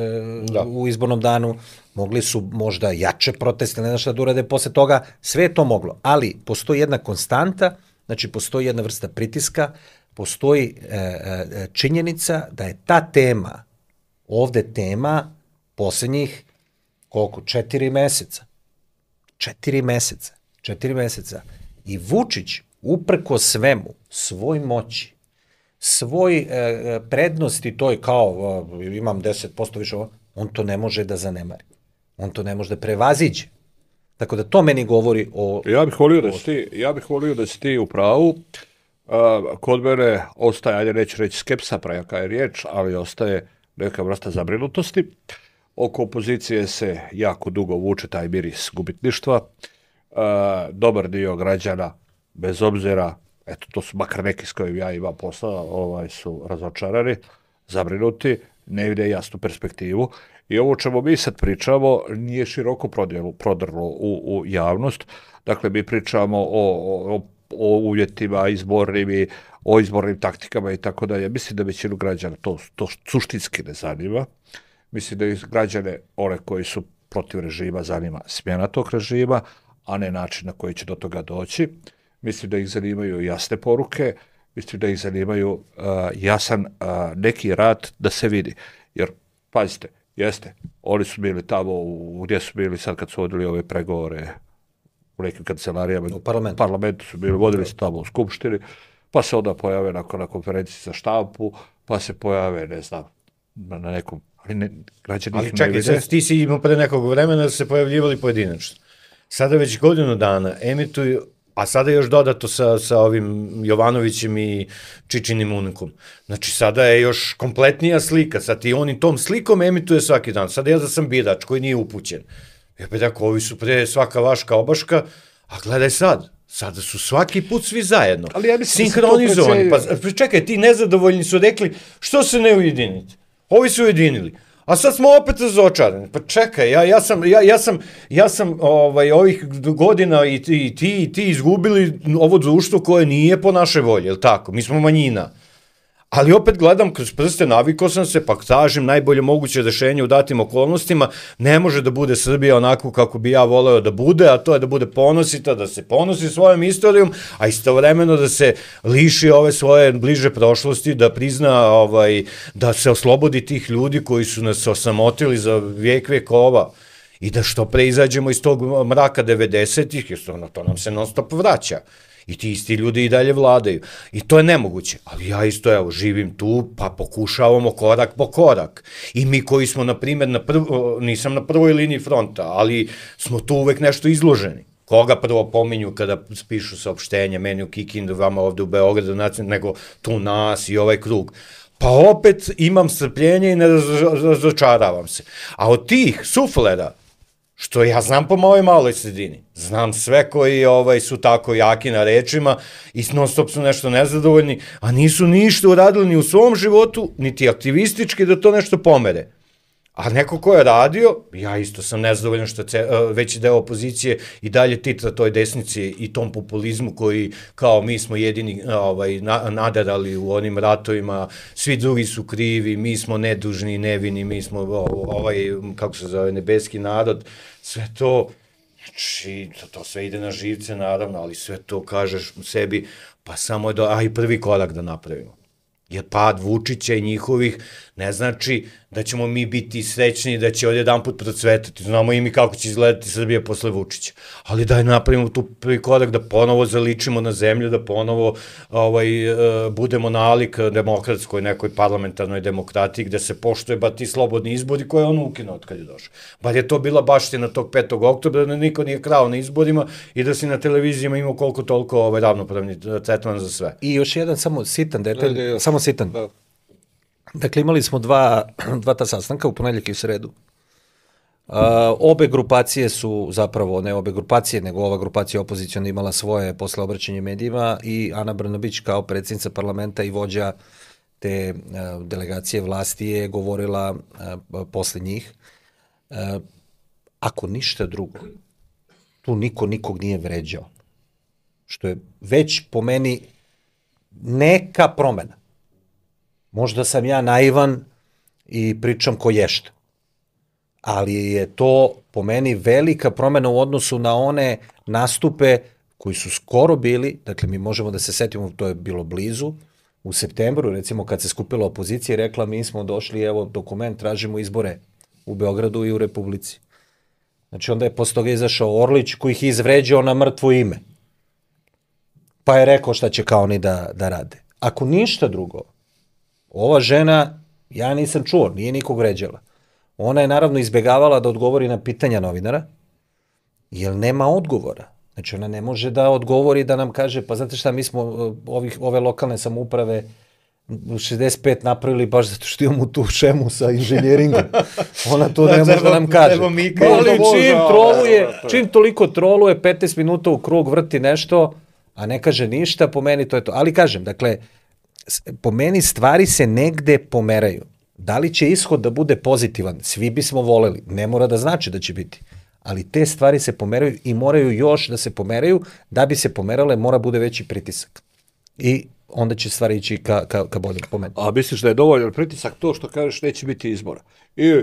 da. u izbornom danu, mogli su možda jače proteste, ne znam šta da urade posle toga, sve je to moglo. Ali postoji jedna konstanta, znači postoji jedna vrsta pritiska, postoji e, e, činjenica da je ta tema, ovde tema poslednjih, koliko, četiri meseca. Četiri meseca. Četiri meseca. I Vučić, uprko svemu, svoj moći, svoj e, prednosti toj kao e, imam deset posto više, on to ne može da zanemari. On to ne može da prevaziđe. Tako da to meni govori o... Ja bih volio da si ti, ja bih volio da si ti u pravu. Uh, kod mene ostaje, ajde neću reći skepsa, prejaka je riječ, ali ostaje neka vrsta zabrinutosti. Oko opozicije se jako dugo vuče taj miris gubitništva. Uh, dobar dio građana, bez obzira, eto to su makar neki s kojim ja imam posla, ovaj, su razočarani, zabrinuti, ne vide jasnu perspektivu. I ovo čemu mi sad pričamo nije široko prodjelu, prodrlo u, u javnost. Dakle, mi pričamo o, o, o uvjetima izbornim, o izbornim taktikama i tako dalje. Mislim da većinu građana to, to suštinski ne zanima. Mislim da i građane, one koji su protiv režima, zanima smjena tog režima, a ne način na koji će do toga doći. Mislim da ih zanimaju jasne poruke, mislim da ih zanimaju uh, jasan uh, neki rad da se vidi. Jer, pazite, jeste, oni su bili tamo, u, gdje su bili sad kad su vodili ove pregovore u nekim kancelarijama, u parlamentu, parlamentu su bili, vodili se tamo u skupštini, pa se onda pojave nakon na konferenciji za štampu, pa se pojave, ne znam, na nekom, ali ne, građani ih ne vide. Ali čekaj, sad ti si imao pre nekog vremena da se pojavljivali pojedinačno. Sada već godinu dana emituju, a sada još dodato sa, sa ovim Jovanovićem i Čičinim unikom. Znači, sada je još kompletnija slika. Sad i oni tom slikom emituje svaki dan. Sada ja da sam birač koji nije upućen. Ja pa tako, ovi su pre svaka vaška obaška, a gledaj sad, sada su svaki put svi zajedno. Ali ja mislim sinhronizovani. Pa čekaj, ti nezadovoljni su rekli, što se ne ujedinite? Ovi su ujedinili. A sad smo opet razočarani. Pa čekaj, ja, ja sam, ja, ja sam, ja sam ovaj, ovih godina i ti, i ti, i ti izgubili ovo društvo koje nije po naše volje, je li tako? Mi smo manjina. Ali opet gledam kroz prste, navikao sam se, pa tražim najbolje moguće rešenje u datim okolnostima. Ne može da bude Srbija onako kako bi ja voleo da bude, a to je da bude ponosita, da se ponosi svojom istorijom, a istovremeno da se liši ove svoje bliže prošlosti, da prizna, ovaj, da se oslobodi tih ljudi koji su nas osamotili za vijek vekova i da što pre izađemo iz tog mraka devedesetih, jer to, to nam se non stop vraća. I ti isti ljudi i dalje vladaju. I to je nemoguće. Ali ja isto, evo, živim tu, pa pokušavamo korak po korak. I mi koji smo, na primjer, na prv, nisam na prvoj liniji fronta, ali smo tu uvek nešto izloženi. Koga prvo pominju kada pišu saopštenje, meni u Kikindu, vama ovde u Beogradu, nego tu nas i ovaj krug. Pa opet imam strpljenje i ne razočaravam se. A od tih suflera, što ja znam po mojoj maloj sredini, znam sve koji ovaj, su tako jaki na rečima i non stop su nešto nezadovoljni, a nisu ništa uradili ni u svom životu, niti aktivistički da to nešto pomere. A neko ko je radio, ja isto sam nezadovoljan što je veći deo opozicije i dalje titra toj desnici i tom populizmu koji kao mi smo jedini ovaj, nadarali u onim ratovima, svi drugi su krivi, mi smo nedužni i nevini, mi smo ovaj, kako se zove, nebeski narod, sve to, znači, to, to sve ide na živce naravno, ali sve to kažeš sebi, pa samo je da, a i prvi korak da napravimo. Jer pad Vučića i njihovih ne znači da ćemo mi biti srećni da će odjedan put procvetati. Znamo i mi kako će izgledati Srbija posle Vučića. Ali daj napravimo tu prvi korak da ponovo zaličimo na zemlju, da ponovo ovaj, uh, budemo nalik demokratskoj nekoj parlamentarnoj demokratiji gde se poštuje ba ti slobodni izbori koje je on ukinuo od kad je došao. Bar je to bila baština tog petog oktobra da niko nije krao na izborima i da si na televizijama imao koliko toliko ovaj, ravnopravni tretman za sve. I još jedan samo sitan detalj, samo sitan. Dakle, imali smo dva, dva ta sastanka u ponedjeljak i u sredu. Uh, obe grupacije su zapravo, ne obe grupacije, nego ova grupacija opozicijona imala svoje posle obraćanje medijima i Ana Brnabić kao predsjednica parlamenta i vođa te uh, delegacije vlasti je govorila uh, posle njih. Uh, ako ništa drugo, tu niko nikog nije vređao. Što je već po meni neka promena. Možda sam ja naivan i pričam ko ješta. Ali je to po meni velika promena u odnosu na one nastupe koji su skoro bili, dakle mi možemo da se setimo, to je bilo blizu, u septembru, recimo kad se skupila opozicija i rekla mi smo došli, evo dokument, tražimo izbore u Beogradu i u Republici. Znači onda je posle toga izašao Orlić koji ih izvređao na mrtvo ime. Pa je rekao šta će kao oni da, da rade. Ako ništa drugo, ova žena, ja nisam čuo, nije nikog vređala. Ona je naravno izbegavala da odgovori na pitanja novinara, jer nema odgovora. Znači ona ne može da odgovori da nam kaže, pa znate šta, mi smo ovih, ove lokalne samouprave šezdeset pet napravili baš zato što imamo tu šemu sa inženjeringom. Ona to ne može da nam kaže. Ali čim troluje, čim toliko troluje, petnaest minuta u krug vrti nešto, a ne kaže ništa, po meni to je to. Ali kažem, dakle, po meni stvari se negde pomeraju. Da li će ishod da bude pozitivan? Svi bismo voleli. Ne mora da znači da će biti. Ali te stvari se pomeraju i moraju još da se pomeraju. Da bi se pomerale, mora bude veći pritisak. I onda će stvari ići ka, ka, ka boljem, po meni. A misliš da je dovoljan pritisak to što kažeš neće biti izbora? I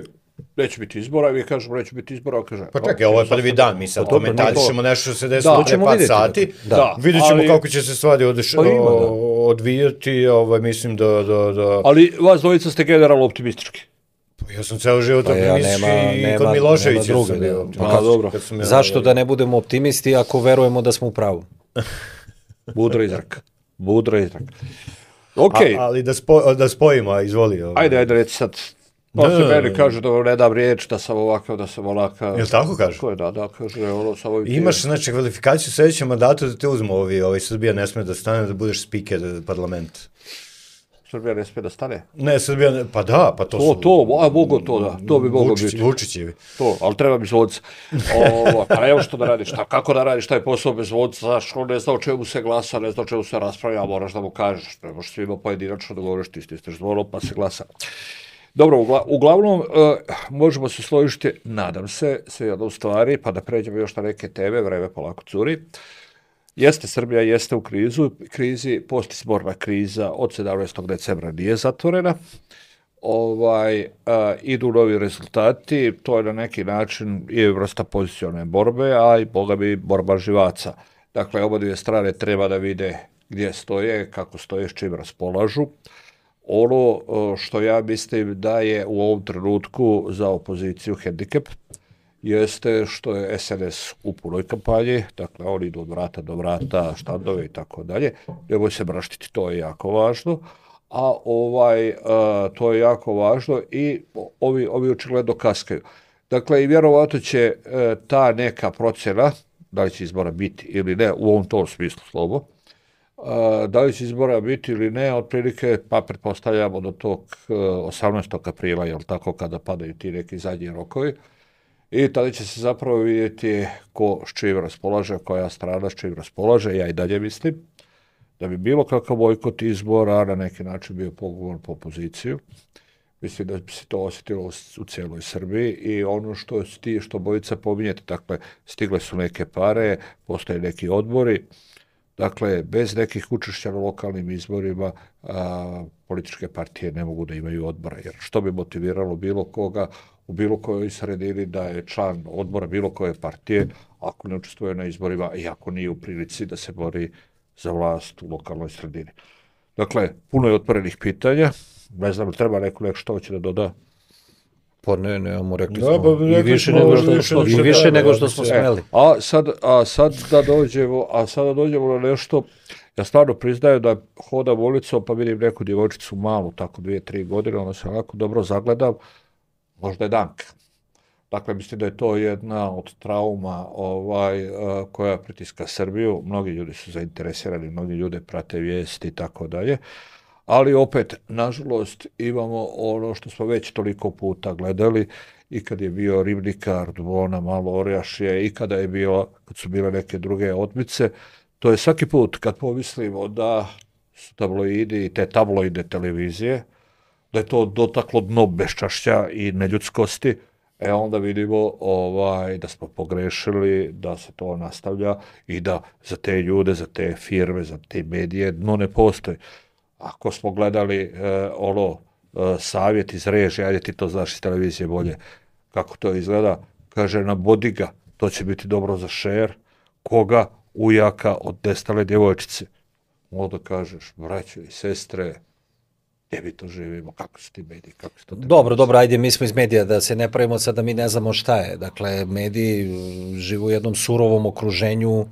neće biti izbora, i mi kažemo neće biti izbora, kaže... Pa čekaj, ovo je prvi dan, mi sad komentarišemo nešto što se desilo pre par sati, da. Vidjet ćemo ali, kako će se stvari odeš, pa ima, da. odvijati, ovaj, mislim da, da, da... Ali vas dvojica ste generalno optimistički. Pa ja sam ceo život pa optimistički ja, i kod Miloševića druge, sam bio. Da. Pa, dobro. Ja, zašto da ne budemo optimisti ako verujemo da smo u pravu? Budro izrak. Budro izrak. Okay. A, ali da, spo, da spojimo, izvoli. Ovaj. Ajde, ajde, reci sad. Pa se meni kaže da ne dam riječ, da sam ovakav, da sam onakav. Jel tako kaže? Ko je, da, da, kaže, ono, samo... Imaš, znači, kvalifikaciju u sljedećem mandatu da te uzmu ovi, ovaj, Srbija ne sme da stane, da budeš speaker parlamenta. Srbija ne smije da stane? Ne, Srbija ne, pa da, pa to, to su... To, a mogo to, da, to bi moglo biti. Vučićevi. To, ali treba mi zvodca. Pa evo što da radiš, šta, kako da radiš taj posao bez zvodca, znaš, on ne zna o čemu se glasa, ne zna o čemu se raspravlja, moraš da mu kažeš, ne možeš svima pojedinačno da govoriš, ti stisneš zvono pa se glasa. Dobro, ugla, uglavnom, uh, možemo se složiti, nadam se, sve jedno u stvari, pa da pređemo još na neke teme, vreme polako curi. Jeste, Srbija jeste u krizu, krizi, postizborna kriza od sedamnaestog decembra nije zatvorena. Ovaj, uh, idu novi rezultati, to je na neki način i vrsta pozicione borbe, a i boga bi borba živaca. Dakle, oba dvije strane treba da vide gdje stoje, kako stoje, s čim raspolažu. Ono što ja mislim da je u ovom trenutku za opoziciju hendikep jeste što je es en es u punoj kampanji, dakle oni idu od vrata do vrata, štandove i tako dalje, nemoj se mraštiti, to je jako važno, a ovaj, a, to je jako važno i ovi, ovi očigledno kaskaju. Dakle, i vjerovatno će a, ta neka procjena, da li će izbora biti ili ne, u ovom tom smislu slovo, Uh, da li će izbora biti ili ne, otprilike, pa pretpostavljamo do tog uh, osamnaestog aprila, jel tako, kada padaju ti neki zadnji rokovi, i tada će se zapravo vidjeti ko s čim raspolaže, koja strana s čim raspolaže. Ja i dalje mislim da bi bilo kakav bojkot izbora na neki način bio pogovor po opoziciju. Mislim da bi se to osjetilo u, u cijeloj Srbiji i ono što ti, što bojica pominjete, dakle, stigle su neke pare, postoje neki odbori. Dakle, bez nekih učešća na lokalnim izborima a, političke partije ne mogu da imaju odbora. Jer što bi motiviralo bilo koga u bilo kojoj sredini da je član odbora bilo koje partije ako ne učestvuje na izborima i ako nije u prilici da se bori za vlast u lokalnoj sredini. Dakle, puno je otvorenih pitanja. Ne znam, treba neko neko što hoće da doda? Pa ne, ne, mu rekli da, smo pa, i više nego što, što, i više nego što smo smeli. A sad, a sad da dođemo, a sada dođemo na nešto, ja stvarno priznajem da hodam ulicom pa vidim neku djevojčicu malu, tako dvije, tri godine, ona se onako dobro zagledam, možda je Danka. Dakle, mislim da je to jedna od trauma ovaj, koja pritiska Srbiju. Mnogi ljudi su zainteresirani, mnogi ljude prate vijesti i tako dalje. Ali opet, nažalost, imamo ono što smo već toliko puta gledali i kad je bio Ribnikar, Dvona, Malo Orjašje i kada je bilo, kad su bile neke druge otmice, to je svaki put kad pomislimo da su tabloidi i te tabloide televizije, da je to dotaklo dno beščašća i neljudskosti, e onda vidimo ovaj, da smo pogrešili, da se to nastavlja i da za te ljude, za te firme, za te medije dno ne postoji. Ako smo gledali e, ono e, savjet iz režije, ajde ti to znaš iz televizije bolje, kako to izgleda, kaže nabodi ga, to će biti dobro za šer, koga ujaka od nestale djevojčice. Onda kažeš, braćo i sestre, gdje mi to živimo, kako su ti mediji, kako su to... Dobro, dobro, ajde, mi smo iz medija, da se ne pravimo sad da mi ne znamo šta je. Dakle, mediji žive u jednom surovom okruženju,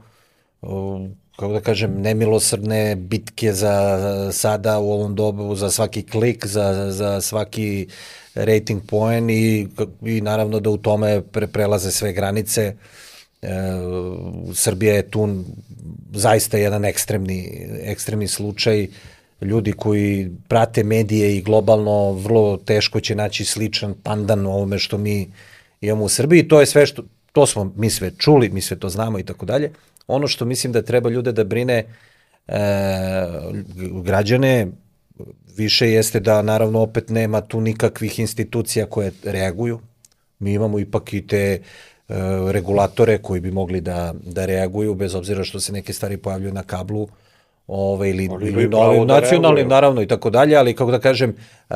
kako da kažem, nemilosrdne bitke za sada u ovom dobu, za svaki klik, za, za svaki rating poen i, i naravno da u tome pre, prelaze sve granice. E, Srbija je tu zaista jedan ekstremni, ekstremni slučaj. Ljudi koji prate medije i globalno vrlo teško će naći sličan pandan ovome što mi imamo u Srbiji. To je sve što, to smo mi sve čuli, mi sve to znamo i tako dalje. Ono što mislim da treba ljude da brine e, građane više jeste da naravno opet nema tu nikakvih institucija koje reaguju. Mi imamo ipak i te e, regulatore koji bi mogli da, da reaguju bez obzira što se neke stvari pojavljuju na kablu. Ove, ili, ili novim nacionalnim, naravno i tako dalje, ali kako da kažem, uh,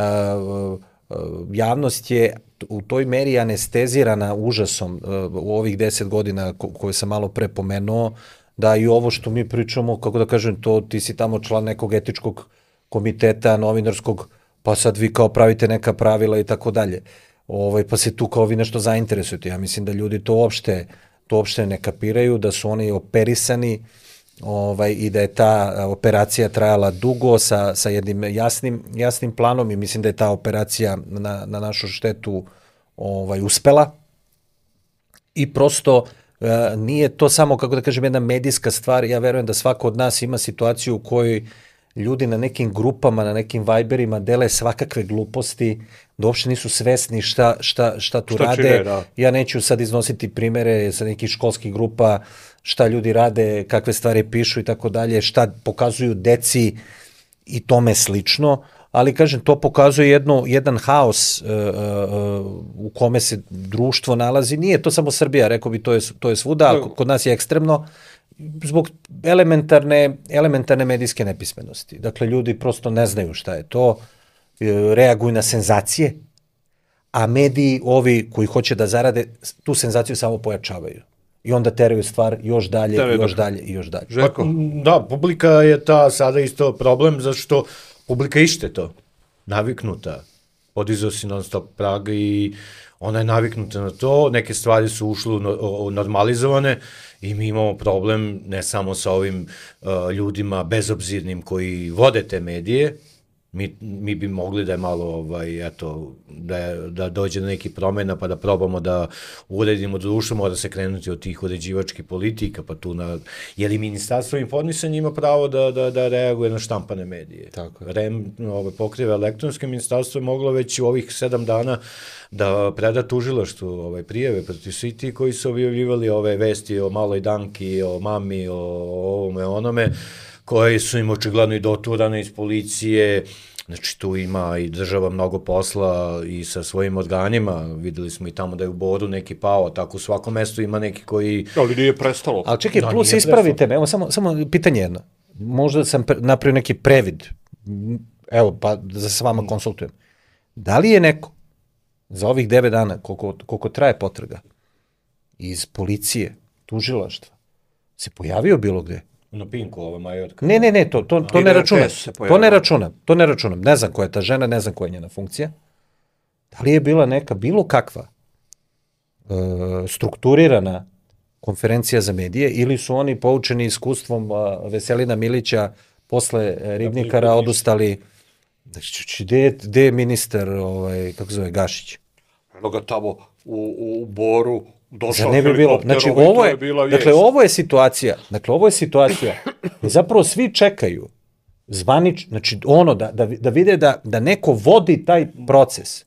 uh, javnost je u toj meri anestezirana užasom uh, u ovih deset godina ko, koje sam malo pre pomenuo, da i ovo što mi pričamo, kako da kažem, to ti si tamo član nekog etičkog komiteta, novinarskog, pa sad vi kao pravite neka pravila i tako dalje. Ovaj, pa se tu kao vi nešto zainteresujete. Ja mislim da ljudi to uopšte, to uopšte ne kapiraju, da su oni operisani, Ovaj, i da je ta operacija trajala dugo sa, sa jednim jasnim, jasnim planom i mislim da je ta operacija na, na našu štetu ovaj, uspela i prosto e, nije to samo, kako da kažem, jedna medijska stvar. Ja verujem da svako od nas ima situaciju u kojoj ljudi na nekim grupama, na nekim Viberima dele svakakve gluposti, da uopšte nisu svesni šta, šta, šta tu šta rade. Čine, da. Ja neću sad iznositi primere sa nekih školskih grupa, šta ljudi rade, kakve stvari pišu i tako dalje, šta pokazuju deci i tome slično, ali kažem, to pokazuje jedno, jedan haos uh, uh, u kome se društvo nalazi. Nije to samo Srbija, rekao bi, to je, to je svuda, ali kod nas je ekstremno, zbog elementarne, elementarne medijske nepismenosti. Dakle, ljudi prosto ne znaju šta je to, reaguju na senzacije, a mediji, ovi koji hoće da zarade, tu senzaciju samo pojačavaju. I onda teraju stvar još dalje, Tere, još dalje i još dalje. Pa, da, publika je ta sada isto problem, zato što publika ište to, naviknuta. Podizao si non stop prag i ona je naviknuta na to, neke stvari su ušle normalizovane i mi imamo problem ne samo sa ovim uh, ljudima bezobzirnim koji vode te medije, Mi, mi bi mogli da je malo, ovaj, eto, da, je, da dođe do nekih promjena pa da probamo da uredimo društvo, mora se krenuti od tih uređivačkih politika, pa tu na, jer i Ministarstvo informisanja ima pravo da, da, da reaguje na štampane medije. Tako je. R E M ove, pokriva elektronske, ministarstvo je moglo već u ovih sedam dana da preda tužilaštvu ovaj, prijeve protiv svi ti koji su objavljivali ove vesti o maloj Danki, o mami, o ovome, onome, koje su im očigledno i doturane iz policije, znači tu ima i država mnogo posla i sa svojim organima, videli smo i tamo da je u Boru neki pao, tako u svakom mestu ima neki koji... Ali nije prestalo. Ali čekaj, da, plus ispravite me, evo samo, samo pitanje jedno, možda sam pre, napravio neki previd, evo pa da se s vama konsultujem, da li je neko za ovih devet dana, koliko, koliko traje potraga, iz policije, tužilaštva, se pojavio bilo gde? Na Pinku, ova Majorka. Ne, ne, ne, to, to, to ne računam. To ne računam, to ne računam. Ne znam koja je ta žena, ne znam koja je njena funkcija. Da li je bila neka, bilo kakva e, strukturirana konferencija za medije ili su oni poučeni iskustvom a, Veselina Milića posle Ribnikara odustali. Znači, gde, gde je ministar, ovaj, kako zove, Gašić? Eno ga tamo u, u Boru, došao ne bi bilo, znači ovo je, je dakle ovo je situacija, dakle ovo je situacija gdje zapravo svi čekaju zvanič, znači ono da, da, da vide da, da neko vodi taj proces.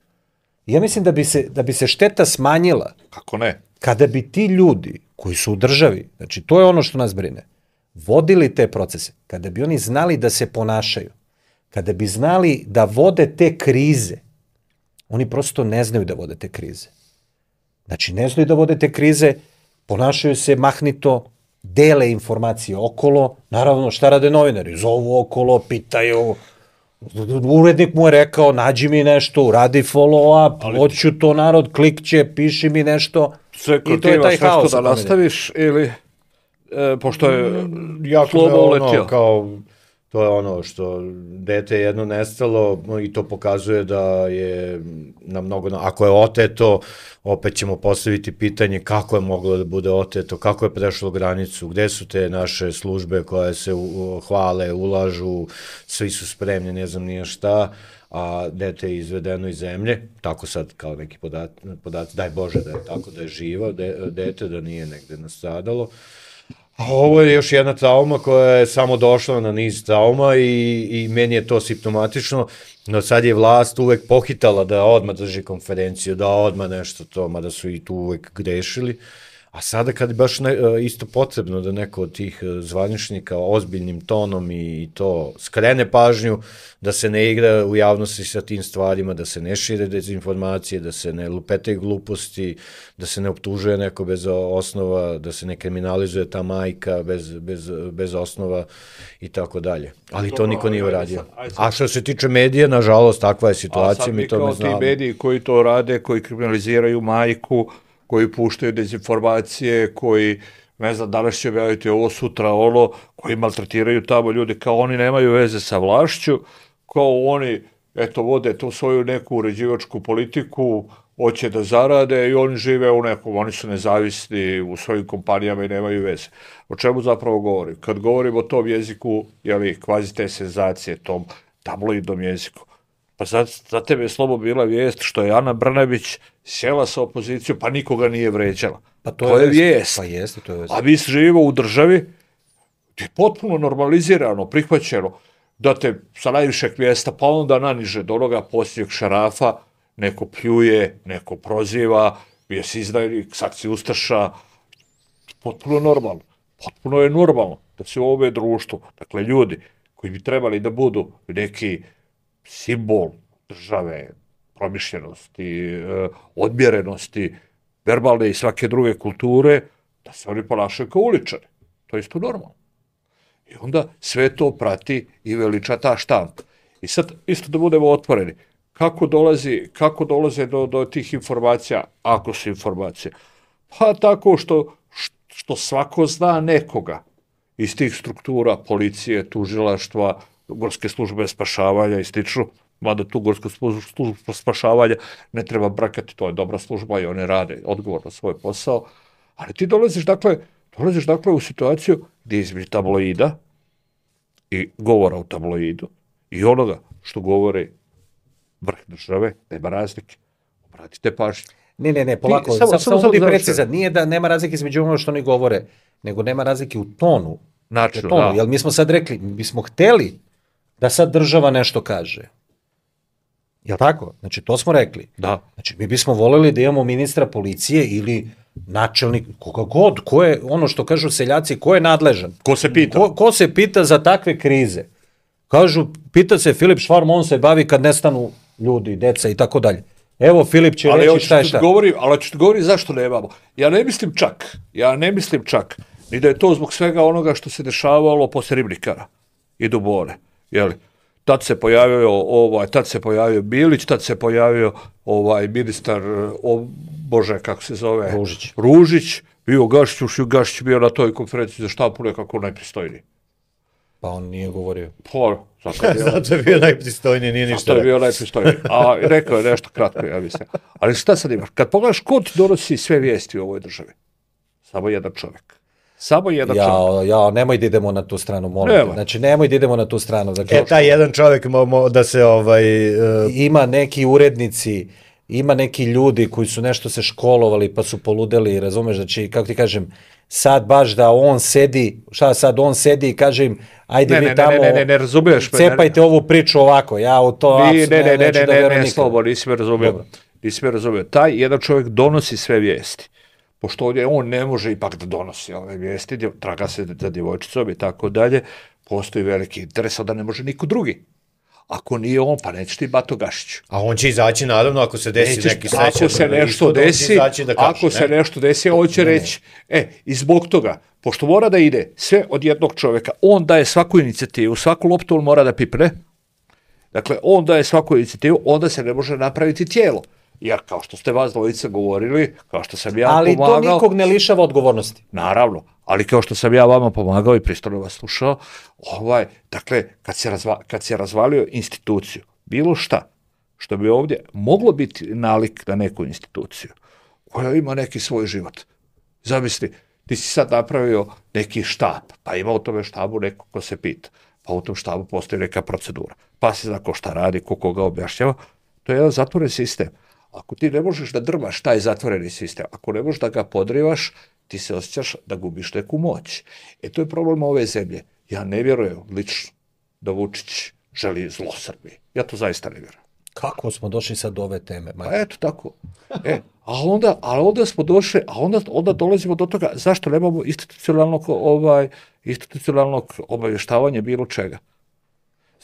Ja mislim da bi se, da bi se šteta smanjila. Kako ne? Kada bi ti ljudi koji su u državi, znači to je ono što nas brine, vodili te procese, kada bi oni znali da se ponašaju, kada bi znali da vode te krize, oni prosto ne znaju da vode te krize. Znači, ne znaju da vode te krize, ponašaju se mahnito, dele informacije okolo, naravno šta rade novinari, zovu okolo, pitaju, urednik mu je rekao, nađi mi nešto, uradi follow up, hoću to narod, klikće, piši mi nešto, sve i to je taj haos. Da nastaviš ili, e, pošto je jako slobo uletio? Kao, to je ono što dete je jedno nestalo i to pokazuje da je na mnogo, ako je oteto, opet ćemo postaviti pitanje kako je moglo da bude oteto, kako je prešlo granicu, gde su te naše službe koje se u, hvale, ulažu, svi su spremni, ne znam nije šta, a dete je izvedeno iz zemlje, tako sad kao neki podat, podaci, daj Bože da je tako, da je živo de, dete, da nije negde nastradalo. A ovo je još jedna trauma koja je samo došla na niz trauma i, i meni je to simptomatično, no sad je vlast uvek pohitala da odmah drži konferenciju, da odmah nešto to, mada su i tu uvek grešili, a sada kad je baš ne, isto potrebno da neko od tih zvaničnika ozbiljnim tonom i, i to skrene pažnju, da se ne igra u javnosti sa tim stvarima, da se ne šire dezinformacije, da se ne lupetaju gluposti, da se ne optužuje neko bez osnova, da se ne kriminalizuje ta majka bez, bez, bez osnova i tako dalje. Ali to niko nije uradio. A što se tiče medija, nažalost, takva je situacija, mi to ne znamo. A sad mi kao ti mediji koji to rade, koji kriminaliziraju majku, koji puštaju dezinformacije, koji, ne znam, danas će objaviti ovo, sutra ono, koji maltretiraju tamo ljudi, kao oni nemaju veze sa vlašću, kao oni, eto, vode tu svoju neku uređivačku politiku, hoće da zarade i oni žive u nekom, oni su nezavisni u svojim kompanijama i nemaju veze. O čemu zapravo govorim? Kad govorim o tom jeziku, jeli, kvazi te senzacije, tom tabloidnom jeziku, pa za, za tebe je slobo bila vijest što je Ana Brnabić sjela sa opozicijom, pa nikoga nije vređala. Pa to, to je, je vijest. Pa jeste, to je vijest. A mi živimo u državi gdje je potpuno normalizirano, prihvaćeno, da te sa najvišeg mjesta, pa onda naniže do onoga posljednjeg šarafa, neko pljuje, neko proziva, bio si izdajnik, sad si ustaša, potpuno normalno. Potpuno je normalno da se u ovome društvu, dakle ljudi koji bi trebali da budu neki simbol države, promišljenosti, odmjerenosti, verbalne i svake druge kulture, da se oni ponašaju kao uličari. To je isto normalno. I onda sve to prati i veliča ta štampa. I sad, isto da budemo otvoreni, kako dolazi, kako dolaze do, do tih informacija, ako su informacije? Pa tako što, što svako zna nekoga iz tih struktura, policije, tužilaštva, gorske službe spašavanja i slično, mada tu gorsku službu spašavanja ne treba brakati, to je dobra služba i one rade odgovorno svoj posao, ali ti dolaziš dakle, dolaziš dakle u situaciju gdje između tabloida i govora u tabloidu i onoga što govori vrh države, nema razlike. Obratite pažnju. Ne, ne, ne, polako, samo, samo budi precizan. Nije da nema razlike između ono što oni govore, nego nema razlike u tonu. Načinu, tonu. Da. Jel mi smo sad rekli, mi smo hteli da sad država nešto kaže. Jel tako? Znači, to smo rekli. Da. Znači, mi bismo voljeli da imamo ministra policije ili načelnik, koga god, ko je, ono što kažu seljaci, ko je nadležan? Ko se pita? Ko, ko se pita za takve krize? Kažu, pita se Filip Švarm, on se bavi kad nestanu ljudi, deca i tako dalje. Evo, Filip će ali reći šta je šta. Govori, ali ću ti govori zašto nemamo. Ja ne mislim čak, ja ne mislim čak, ni da je to zbog svega onoga što se dešavalo posle Ribnikara i Dubone, jeli? Tad se pojavio ovaj, tad se pojavio Bilić, tad se pojavio ovaj ministar, o, Bože, kako se zove? Ružić. Ružić, bio Gašić, Gašić bio na toj konferenciji za štampu nekako najpristojniji. Pa on nije govorio. Pa, zato je bio, zato je bio najpristojniji, nije ništa. Zato je bio najpristojniji. A rekao je nešto kratko, ja mislim. Ali šta sad imaš? Kad pogledaš ko ti donosi sve vijesti u ovoj državi? Samo jedan čovjek. Samo jedan ja, čovjek. Ja, nemoj da idemo na tu stranu, molim te. Znači, nemoj da idemo na tu stranu. Dakle, e, taj jedan čovjek mo, mo, da se ovaj... Uh... Ima neki urednici, ima neki ljudi koji su nešto se školovali pa su poludeli, razumeš, znači, kako ti kažem, sad baš da on sedi, šta sad on sedi i kaže im, ajde ne, vi ne, tamo, ne, ne, ne, ne razumiješ me, cepajte ne, ovu priču ovako, ja u to ne, ne, ne, ne, ne, da ne, ne, ne, slobo, nisi me razumio. Nisi me razumio. Taj jedan čovjek donosi sve vijesti. Pošto ovdje on ne može ipak da donosi ove vijesti, traga se za djevojčicom i tako dalje, postoji veliki interes, da ne može niko drugi. Ako nije on, pa neće ti Bato Gašić. A on će izaći, naravno, ako se desi Nećeš, neki srećan. Ako se nešto desi, da kaš, ako ne? se nešto desi, on će ne, reći, ne. e, i zbog toga, pošto mora da ide sve od jednog čovjeka, on daje svaku inicijativu, svaku loptu on mora da pipne, dakle, on daje svaku inicijativu, onda se ne može napraviti tijelo. Jer kao što ste vas dvojica govorili, kao što sam ja ali pomagao... Ali to nikog ne lišava odgovornosti. Naravno, ali kao što sam ja vama pomagao i pristojno vas slušao, ovaj, dakle, kad se, razva, kad se razvalio instituciju, bilo šta, što bi ovdje moglo biti nalik na neku instituciju, koja ima neki svoj život. Zamisli, ti si sad napravio neki štab, pa ima u tome štabu neko ko se pita, pa u tom štabu postoji neka procedura, pa se zna ko šta radi, ko koga objašnjava, to je jedan zatvoren sistem. Ako ti ne možeš da drmaš taj zatvoreni sistem, ako ne možeš da ga podrivaš, ti se osjećaš da gubiš neku moć. E to je problem ove zemlje. Ja ne vjerujem lično da Vučić želi zlo Srbiji. Ja to zaista ne vjerujem. Kako smo došli sad do ove teme? Pa eto tako. E, a onda, a onda smo došli, a onda, onda dolazimo do toga zašto nemamo institucionalnog, ovaj, institucionalnog obavještavanja bilo čega.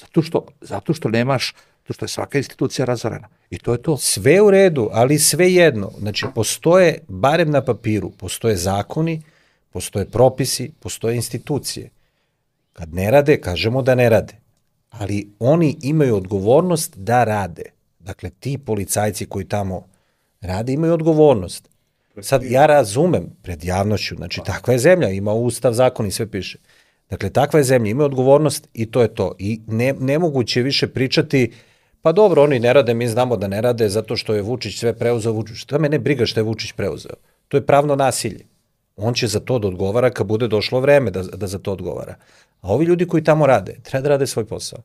Zato što, zato što nemaš, zato što je svaka institucija razorena. I to je to. Sve u redu, ali sve jedno. Znači, postoje, barem na papiru, postoje zakoni, postoje propisi, postoje institucije. Kad ne rade, kažemo da ne rade. Ali oni imaju odgovornost da rade. Dakle, ti policajci koji tamo rade imaju odgovornost. Sad, ja razumem pred javnošću, znači, takva je zemlja, ima ustav, zakon i sve piše. Dakle, takva je zemlja, ima odgovornost i to je to. I ne, nemoguće više pričati, pa dobro, oni ne rade, mi znamo da ne rade zato što je Vučić sve preuzeo. Vučić. Šta me ne briga što je Vučić preuzeo? To je pravno nasilje. On će za to da odgovara kad bude došlo vreme da, da za to odgovara. A ovi ljudi koji tamo rade, treba da rade svoj posao.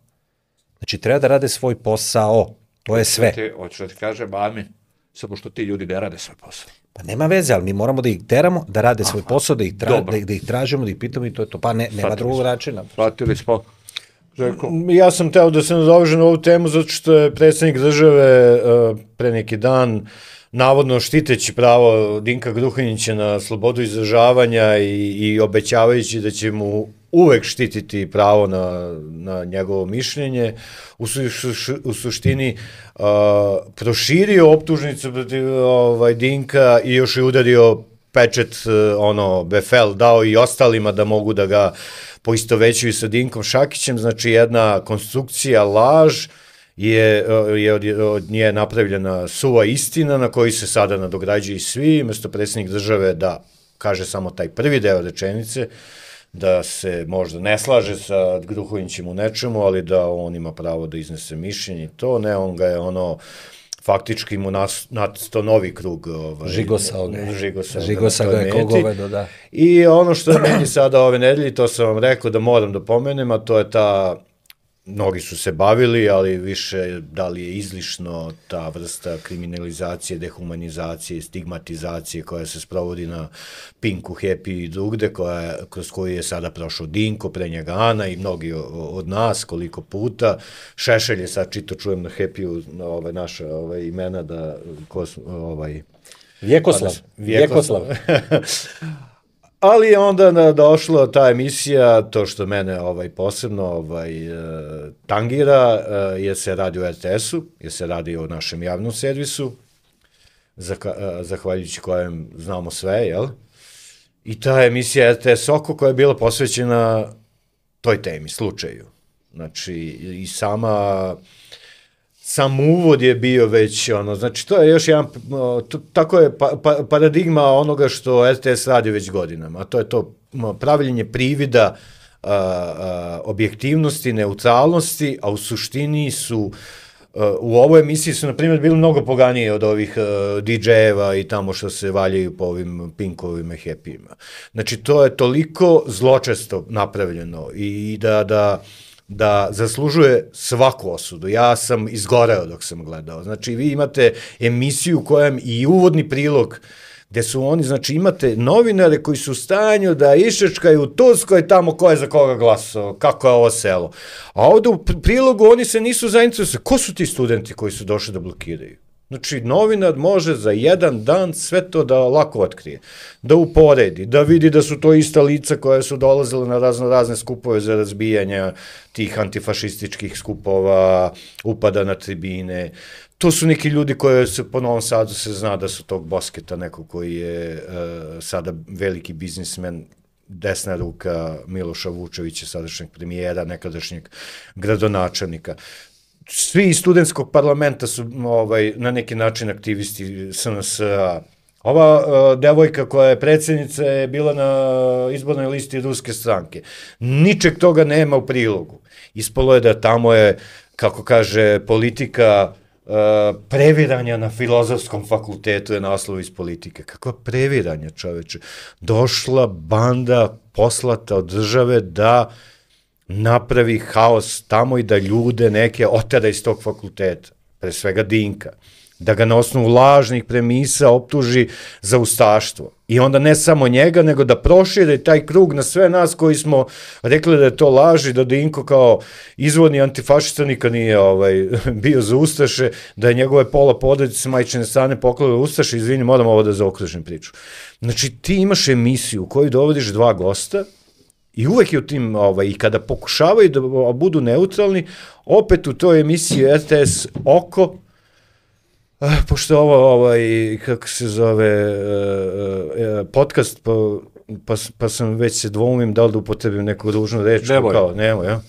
Znači, treba da rade svoj posao. To je sve. Hoću da ti kažem, amin, samo što ti ljudi ne rade svoj posao. Pa nema veze, ali mi moramo da ih teramo, da rade svoj posao, da ih, tra, da, da ih tražimo, da ih pitamo i to je to. Pa ne, nema drugog načina. Pratili smo. Željko. Ja sam teo da se nadovežem na ovu temu zato što je predsjednik države uh, pre neki dan navodno štiteći pravo Dinka Gruhonjića na slobodu izražavanja i, i obećavajući da će mu uvek štititi pravo na, na njegovo mišljenje, u, su, u suštini uh, proširio optužnicu protiv ovaj, Dinka i još je udario pečet, uh, ono, befel, dao i ostalima da mogu da ga poistovećuju sa Dinkom Šakićem, znači jedna konstrukcija, laž, je, je od, od nje napravljena suva istina na koju se sada nadograđuju svi, umjesto predsjednik države da kaže samo taj prvi deo rečenice, da se možda ne slaže sa Gruhonjićem u nečemu, ali da on ima pravo da iznese mišljenje. To ne, on ga je ono faktički mu nasto novi krug ovaj, žigosao ga žigosao žigosa ga je kogovedo, da. I ono što je meni sada ove nedelje, to sam vam rekao da moram da pomenem, a to je ta, mnogi su se bavili, ali više da li je izlišno ta vrsta kriminalizacije, dehumanizacije, stigmatizacije koja se sprovodi na Pinku, Happy i drugde, koja, kroz koju je sada prošao Dinko, pre njega Ana i mnogi od nas, koliko puta. Šešelj je sad, čito čujem na Happy-u ove, naša ove, imena da... Ko, ovaj, Vjekoslav. Vjekoslav. Ali je onda došla ta emisija, to što mene ovaj, posebno ovaj, tangira, jer se radi o R T S-u, jer se radi o našem javnom servisu, zahvaljujući kojem znamo sve, jel? I ta emisija R T S Oko koja je bila posvećena toj temi, slučaju. Znači, i sama... Sam uvod je bio već, ono, znači to je još jedan, to, tako je pa, pa, paradigma onoga što R T S radi već godinama, a to je to pravljenje privida a, a, objektivnosti, neutralnosti, a u suštini su, a, u ovoj emisiji su, na primjer, bili mnogo poganije od ovih D J-eva i tamo što se valjaju po ovim Pinkovima i Happy-ima. Znači, to je toliko zločesto napravljeno i da, da da zaslužuje svaku osudu. Ja sam izgoreo dok sam gledao. Znači, vi imate emisiju u kojem i uvodni prilog gde su oni, znači, imate novinare koji su u stanju da išečkaju u Turskoj tamo ko je za koga glasao, kako je ovo selo. A ovde u prilogu oni se nisu zainteresovali. Ko su ti studenti koji su došli da blokiraju? Znači, novinar može za jedan dan sve to da lako otkrije, da uporedi, da vidi da su to ista lica koja su dolazile na razno razne skupove za razbijanja tih antifašističkih skupova, upada na tribine. To su neki ljudi koji se po Novom Sadu se zna da su tog Bosketa, neko koji je uh, sada veliki biznismen, desna ruka Miloša Vučevića, sadašnjeg premijera, nekadašnjeg gradonačelnika. Svi iz studentskog parlamenta su ovaj, na neki način aktivisti S N S-a. Ova uh, devojka koja je predsjednica je bila na izbornoj listi ruske stranke. Ničeg toga nema u prilogu. Ispalo je da tamo je, kako kaže politika, Uh, previranja na filozofskom fakultetu je naslov iz politike. Kakva previranja, čoveče? Došla banda poslata od države da napravi haos tamo i da ljude neke otera iz tog fakulteta, pre svega Dinka, da ga na osnovu lažnih premisa optuži za ustaštvo. I onda ne samo njega, nego da prošire taj krug na sve nas koji smo rekli da je to laž i da Dinko kao izvorni antifašista nikad nije ovaj, bio za ustaše, da je njegove pola porodice majčine strane poklale ustaše, izvini, moram ovo da zaokružim priču. Znači, ti imaš emisiju u kojoj dovodiš dva gosta i uvek je u tim, ovaj, i kada pokušavaju da budu neutralni, opet u toj emisiji R T S Oko, Uh, pošto ovo, ovaj, kako se zove, uh, uh, podcast, pa, pa, pa sam već se dvoumim da li da upotrebim neku ružnu reč. Nemoj. Kao, nemoj, ja.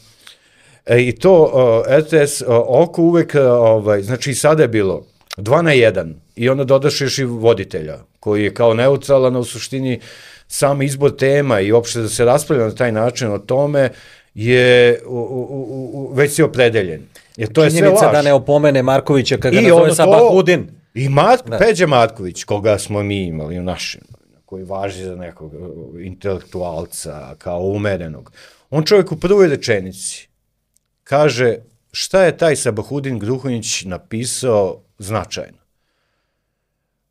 E, I to uh, R T S uh, Oko uvek, uh, ovaj, znači i sada je bilo dva na jedan i onda dodaš još i voditelja, koji je kao neutralan, u suštini sam izbor tema i uopšte da se raspravlja na taj način o tome je u, u, u, već si opredeljen. Jer to je sve laž. Činjenica da ne opomene Markovića kada ga nazove Sabahudin. I Mark, Peđa Marković, koga smo mi imali u našem, koji važi za nekog intelektualca, kao umerenog. On čovjek u prvoj rečenici kaže šta je taj Sabahudin Gruhonjić napisao značajno.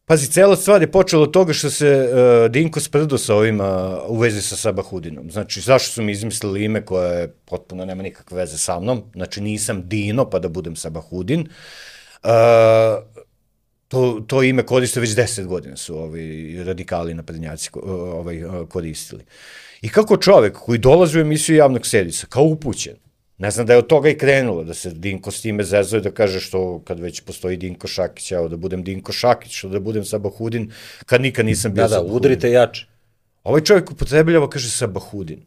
Pazi, cela stvar je počela od toga što se uh, Dinko sprdo sa ovima u vezi sa Sabahudinom. Znači, zašto su mi izmislili ime koje potpuno nema nikakve veze sa mnom? Znači, nisam Dino, pa da budem Sabahudin. Uh, to, to ime koriste već deset godina su ovi radikali naprednjaci ovaj, koristili. I kako čovek koji dolazi u emisiju javnog servisa, kao upućen, ne znam da je od toga i krenulo, da se Dinko s time zezuje, da kaže što kad već postoji Dinko Šakić, evo da budem Dinko Šakić, što da budem Sabahudin, kad nikad nisam bio da, Sabahudin. Da, udrite jače. Ovaj čovjek upotrebljava, kaže Sabahudin.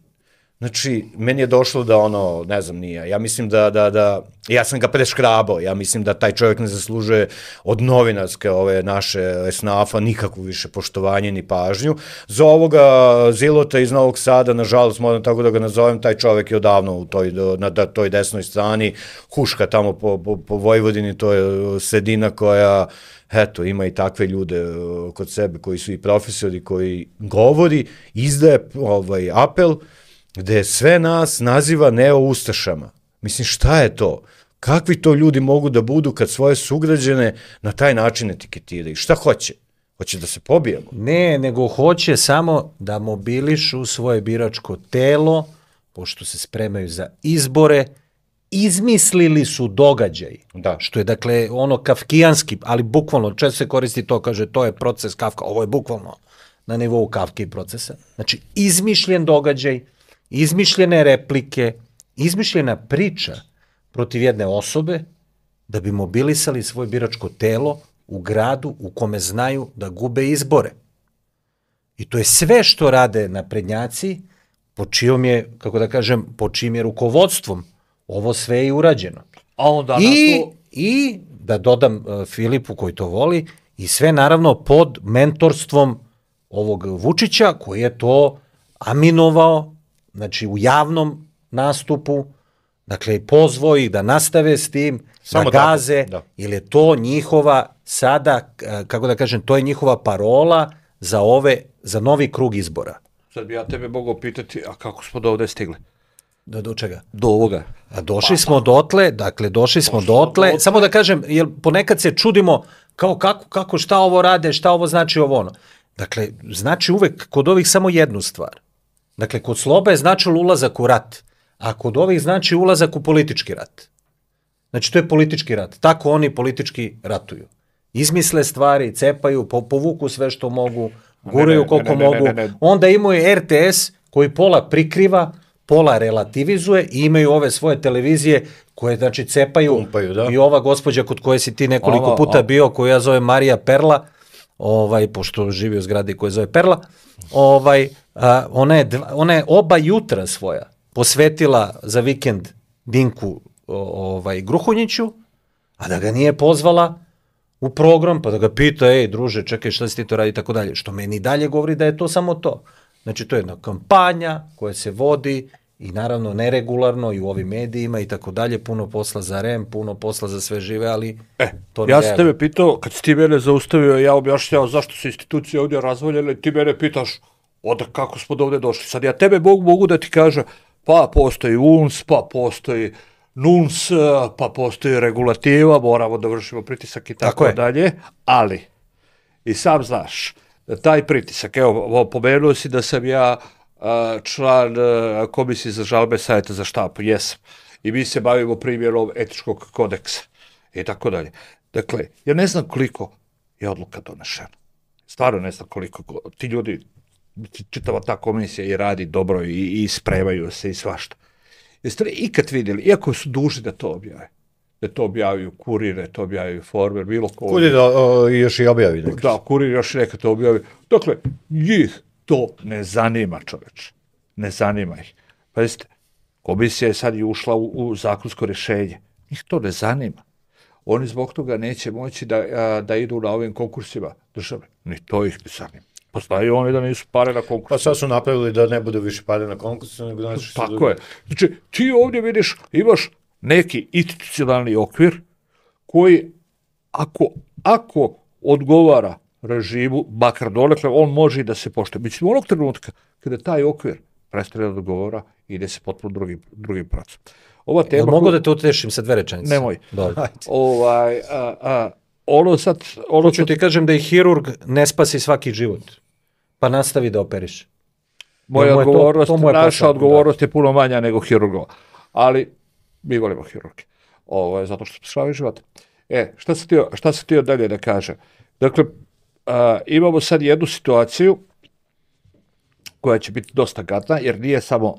Znači, meni je došlo da ono, ne znam, nije, ja mislim da, da, da, ja sam ga preškrabao, ja mislim da taj čovjek ne zaslužuje od novinarske ove naše esnafa nikakvu više poštovanje ni pažnju. Za ovoga Zilota iz Novog Sada, nažalost, moram tako da ga nazovem, taj čovjek je odavno u toj, na toj desnoj strani, huška tamo po, po, po Vojvodini, to je sredina koja, eto, ima i takve ljude kod sebe koji su i profesori, koji govori, izdaje ovaj apel, gde sve nas naziva neo-ustašama. Mislim, šta je to? Kakvi to ljudi mogu da budu kad svoje sugrađane na taj način etiketiraju? Šta hoće? Hoće da se pobijemo? Ne, nego hoće samo da mobilišu svoje biračko telo, pošto se spremaju za izbore, izmislili su događaj. Da. Što je, dakle, ono kafkijanski, ali bukvalno, često se koristi to, kaže, to je proces Kafka, ovo je bukvalno na nivou Kafke i procesa. Znači, izmišljen događaj, izmišljene replike, izmišljena priča protiv jedne osobe da bi mobilisali svoje biračko telo u gradu u kome znaju da gube izbore. I to je sve što rade naprednjaci, po čijom je, kako da kažem, po čijim je rukovodstvom ovo sve je urađeno. A onda I, to... I da dodam uh, Filipu koji to voli, i sve naravno pod mentorstvom ovog Vučića koji je to aminovao, znači u javnom nastupu, dakle pozvao ih da nastave s tim, Samo da gaze, da. ili je to njihova sada, kako da kažem, to je njihova parola za ove, za novi krug izbora. Sad bi ja tebe mogao pitati, a kako smo do ovde stigli? Do, do čega? Do ovoga. A došli smo dotle, dakle došli smo dotle, dotle, samo da kažem, jer ponekad se čudimo kao kako, kako šta ovo rade, šta ovo znači ovo ono. Dakle, znači uvek kod ovih samo jednu stvar. Dakle, kod Sloba je značilo ulazak u rat, a kod ovih znači ulazak u politički rat. Znači, to je politički rat. Tako oni politički ratuju. izmisle stvari, cepaju, po, povuku sve što mogu, guraju ne, ne, koliko ne, ne, mogu, ne, ne, ne. onda imaju R T S koji pola prikriva, pola relativizuje i imaju ove svoje televizije koje, znači, cepaju. Pumpaju, da. I ova gospođa kod koje si ti nekoliko Ovo, puta ovo. bio, koju ja zovem Marija Perla, ovaj, pošto živi u zgradi koja zove Perla, ovaj, a, ona, je, dva- ona je oba jutra svoja posvetila za vikend Dinku o, ovaj, Gruhonjiću, a da ga nije pozvala u program, pa da ga pita, ej, druže, čekaj, šta si ti to radi, i tako dalje. Što meni dalje govori da je to samo to. Znači, to je jedna kampanja koja se vodi i naravno neregularno i u ovim medijima i tako dalje, puno posla za R E M, puno posla za sve žive, ali E, to ne ja sam reaguje. tebe pitao, kad si ti mene zaustavio, ja objašnjao zašto su institucije ovdje razvoljene, ti mene pitaš, od kako smo do ovdje došli. Sad ja tebe mogu, mogu da ti kažem, pa postoji U N S, pa postoji N U N S, pa postoji regulativa, moramo da vršimo pritisak i Tako tako je. dalje, ali i sam znaš da taj pritisak, evo, pomenuo si da sam ja a, član a, komisije za žalbe Savjeta za štampu, jesam, i mi se bavimo primjerom etičkog kodeksa i tako dalje. Dakle, ja ne znam koliko je odluka donešena. Stvarno ne znam koliko. Ti ljudi, čitava ta komisija i radi dobro i, i spremaju se i svašta. Jeste li ikad vidjeli, iako su dužni da to objave, da to objavaju Kurir, da to objavaju Informer, bilo ko... Kurir da, o, još i objavi nekad. Da, Kurir još neka to objavi. Dakle, njih to ne zanima, čoveč. Ne zanima ih. Pazite, komisija je sad i ušla u, u zakonsko rješenje. Njih to ne zanima. Oni zbog toga neće moći da, a, da idu na ovim konkursima države. Ni to ih ne zanima. Pa znaju oni da nisu pare na konkursu. Pa sad su napravili da ne bude više pare na konkursu, nego znači što Tako je. Znači, ti ovdje vidiš, imaš neki institucionalni okvir koji, ako, ako odgovara režimu, makar donekle, on može i da se poštuje. Mislim, onog trenutka kada taj okvir prestane da odgovara, ide se potpuno drugim, drugim pravcem. Ova tema... Jel mogu koju- da te utešim sa dve rečenice? Nemoj. Dobro. Ovaj, a, a, ono sad... Ono Hoću ti kažem da i hirurg ne spasi svaki život, pa nastavi da operiš. Moja Jel mu je to- odgovornost, to mu je naša posao, odgovornost je puno manja nego hirurgova. Ali mi volimo hirurge. Ovo je zato što spašavaju život. E, šta se htio, šta se htio dalje da kaže? Dakle, a, imamo sad jednu situaciju koja će biti dosta gadna, jer nije samo,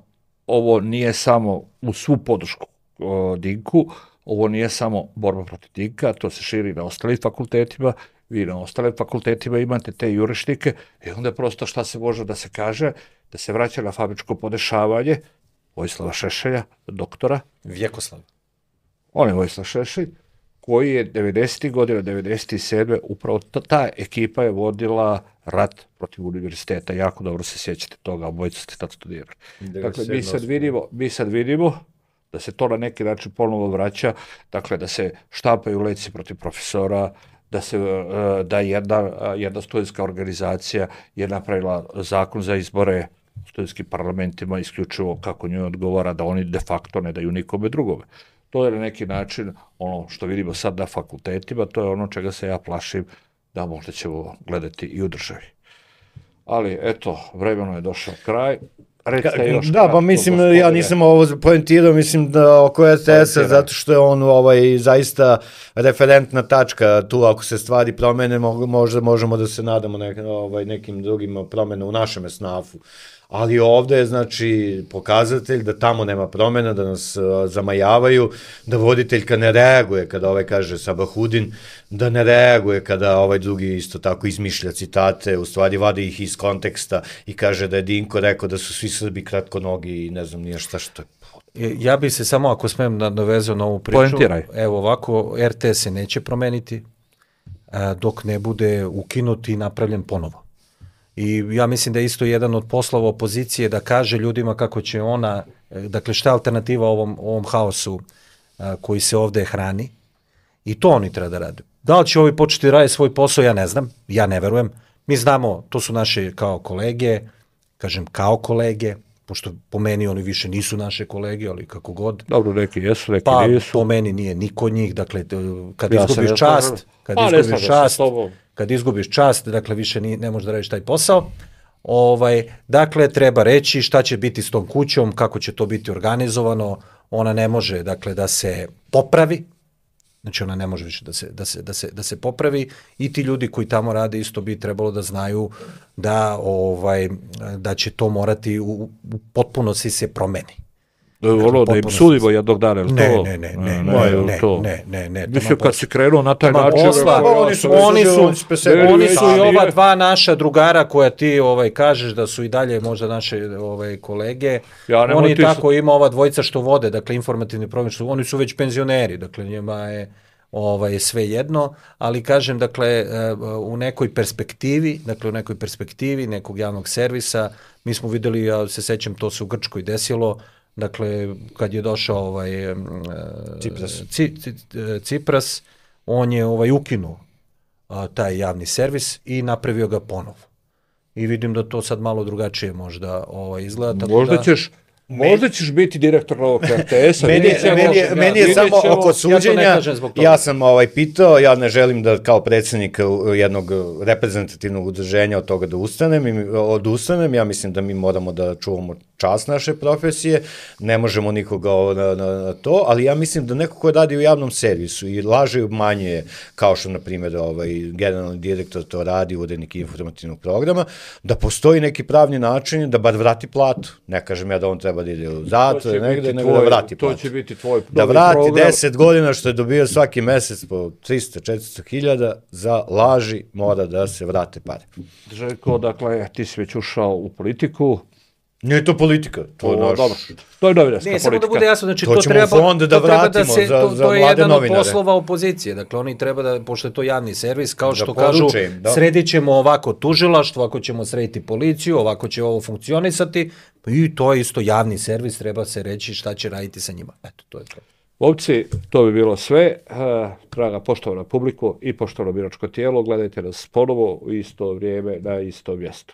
ovo nije samo u svu podršku o, Dinku, ovo nije samo borba protiv Dinka, to se širi na ostalim fakultetima, vi na ostalim fakultetima imate te jurišnike, i onda prosto šta se može da se kaže, da se vraća na fabričko podešavanje Vojislava Šešelja, doktora, Vjekoslav. on je Vojislav Šešelj, koji je devedesetih godina, devedeset sedme upravo ta, ta ekipa je vodila rat protiv univerziteta, jako dobro se sjećate toga, obojica ste tad studirali. Dakle, mi sad vidimo, mi sad vidimo da se to na neki način ponovo vraća, dakle da se štampaju leci protiv profesora, da se e, da jedna, jedna studentska organizacija je napravila zakon za izbore u studentskim parlamentima isključivo kako njoj odgovara, da oni de facto ne daju nikome drugome. To je na neki način ono što vidimo sad na fakultetima, to je ono čega se ja plašim da možda ćemo gledati i u državi. Ali eto, vremeno je došao kraj. Recite još Da, kratko, pa mislim, gospodine. ja nisam ovo poentirao, mislim da oko R T S-a, Poentiraj. zato što je on ovaj, zaista referentna tačka tu, ako se stvari promene, mo- možda možemo da se nadamo nek, ovaj, nekim drugim promena u našem snafu. Ali ovde je, znači, pokazatelj da tamo nema promena, da nas uh, zamajavaju, da voditeljka ne reaguje kada ovaj kaže Sabahudin, da ne reaguje kada ovaj drugi isto tako izmišlja citate, u stvari vadi ih iz konteksta i kaže da je Dinko rekao da su svi Srbi kratkonogi i ne znam nije šta što je. Ja bi se samo, ako smem, nadovezao na ovu priču. Poentiraj. Evo ovako, R T S se neće promeniti a, dok ne bude ukinut i napravljen ponovo. I ja mislim da je isto jedan od poslova opozicije da kaže ljudima kako će ona, e, dakle šta je alternativa ovom, ovom haosu a, koji se ovde hrani. I to oni treba da rade. Da li će ovi početi raditi svoj posao, ja ne znam, ja ne verujem. Mi znamo, to su naše kao kolege, kažem kao kolege, pošto po meni oni više nisu naše kolege, ali kako god. Dobro, neki jesu, neki Pa nisu. po meni nije niko od njih, dakle t- kad Ja se izgubiš ne čast, slažem. kad Pa, ne izgubiš slažem se čast, s tobom. kad izgubiš čast, dakle više ni, ne možeš da radiš taj posao. Ovaj, dakle, treba reći šta će biti s tom kućom, kako će to biti organizovano, ona ne može dakle da se popravi, Znači ona ne može više da se, da se, da se, da se popravi i ti ljudi koji tamo rade isto bi trebalo da znaju da, ovaj, da će to morati u, u potpunosti se promeni. Ono da im sudimo jednog dana, je li ne, to? Ne, ne, ne, ne, ne, to. ne, ne, ne. Mislim, kad si krenuo na taj način... Posla, oni su, oni su, oni su i ova dva naša drugara koja ti ovaj, kažeš da su i dalje možda naše ovaj, kolege, ja, oni tako su... ima ova dvojica što vode, dakle informativni program, što, oni su već penzioneri, dakle njima je ovaj, sve jedno, ali kažem, dakle, u nekoj perspektivi, dakle u nekoj perspektivi nekog javnog servisa, mi smo videli, ja se sećam, to se u Grčkoj desilo, dakle, kad je došao ovaj, uh, Cipras. Ci, ci, Cipras, on je ovaj, ukinuo uh, taj javni servis i napravio ga ponovo. I vidim da to sad malo drugačije možda ovaj, izgleda. Možda da... ćeš... Možda ćeš biti direktor novog R T S-a. meni je, meni je, meni je samo oko suđenja, ja, ja sam ovaj, pitao, ja ne želim da kao predsjednik jednog reprezentativnog udruženja od toga da ustanem, i odustanem, ja mislim da mi moramo da čuvamo čast naše profesije, ne možemo nikoga na, na, na to, ali ja mislim da neko ko radi u javnom servisu i laže i obmanjuje, kao što, na primjer, ovaj, generalni direktor to radi, urednik informativnog programa, da postoji neki pravni način da bar vrati platu. Ne kažem ja da on treba da ide u zatvor, negde, nego da vrati platu. To će biti tvoj da vrati program. deset godina što je dobio svaki mesec po trista do četiristo hiljada za laži, mora da se vrate pare. Željko, dakle, ti si već ušao u politiku. Nije to politika, to je naš... Dobro, to je novinarska politika. Ne, samo da bude jasno, znači to, to treba, fond da to treba da za, se, to, za to je jedan novinare. od poslova opozicije, dakle oni treba da, pošto je to javni servis, kao što da kažu, im, da. sredit ćemo ovako tužilaštvo, ako ćemo srediti policiju, ovako će ovo funkcionisati, i to je isto javni servis, treba se reći šta će raditi sa njima. Eto, to je to. Ovci, to bi bilo sve. Draga poštovana publiku i poštovano biračko tijelo, gledajte nas ponovo u isto vrijeme na isto mjesto.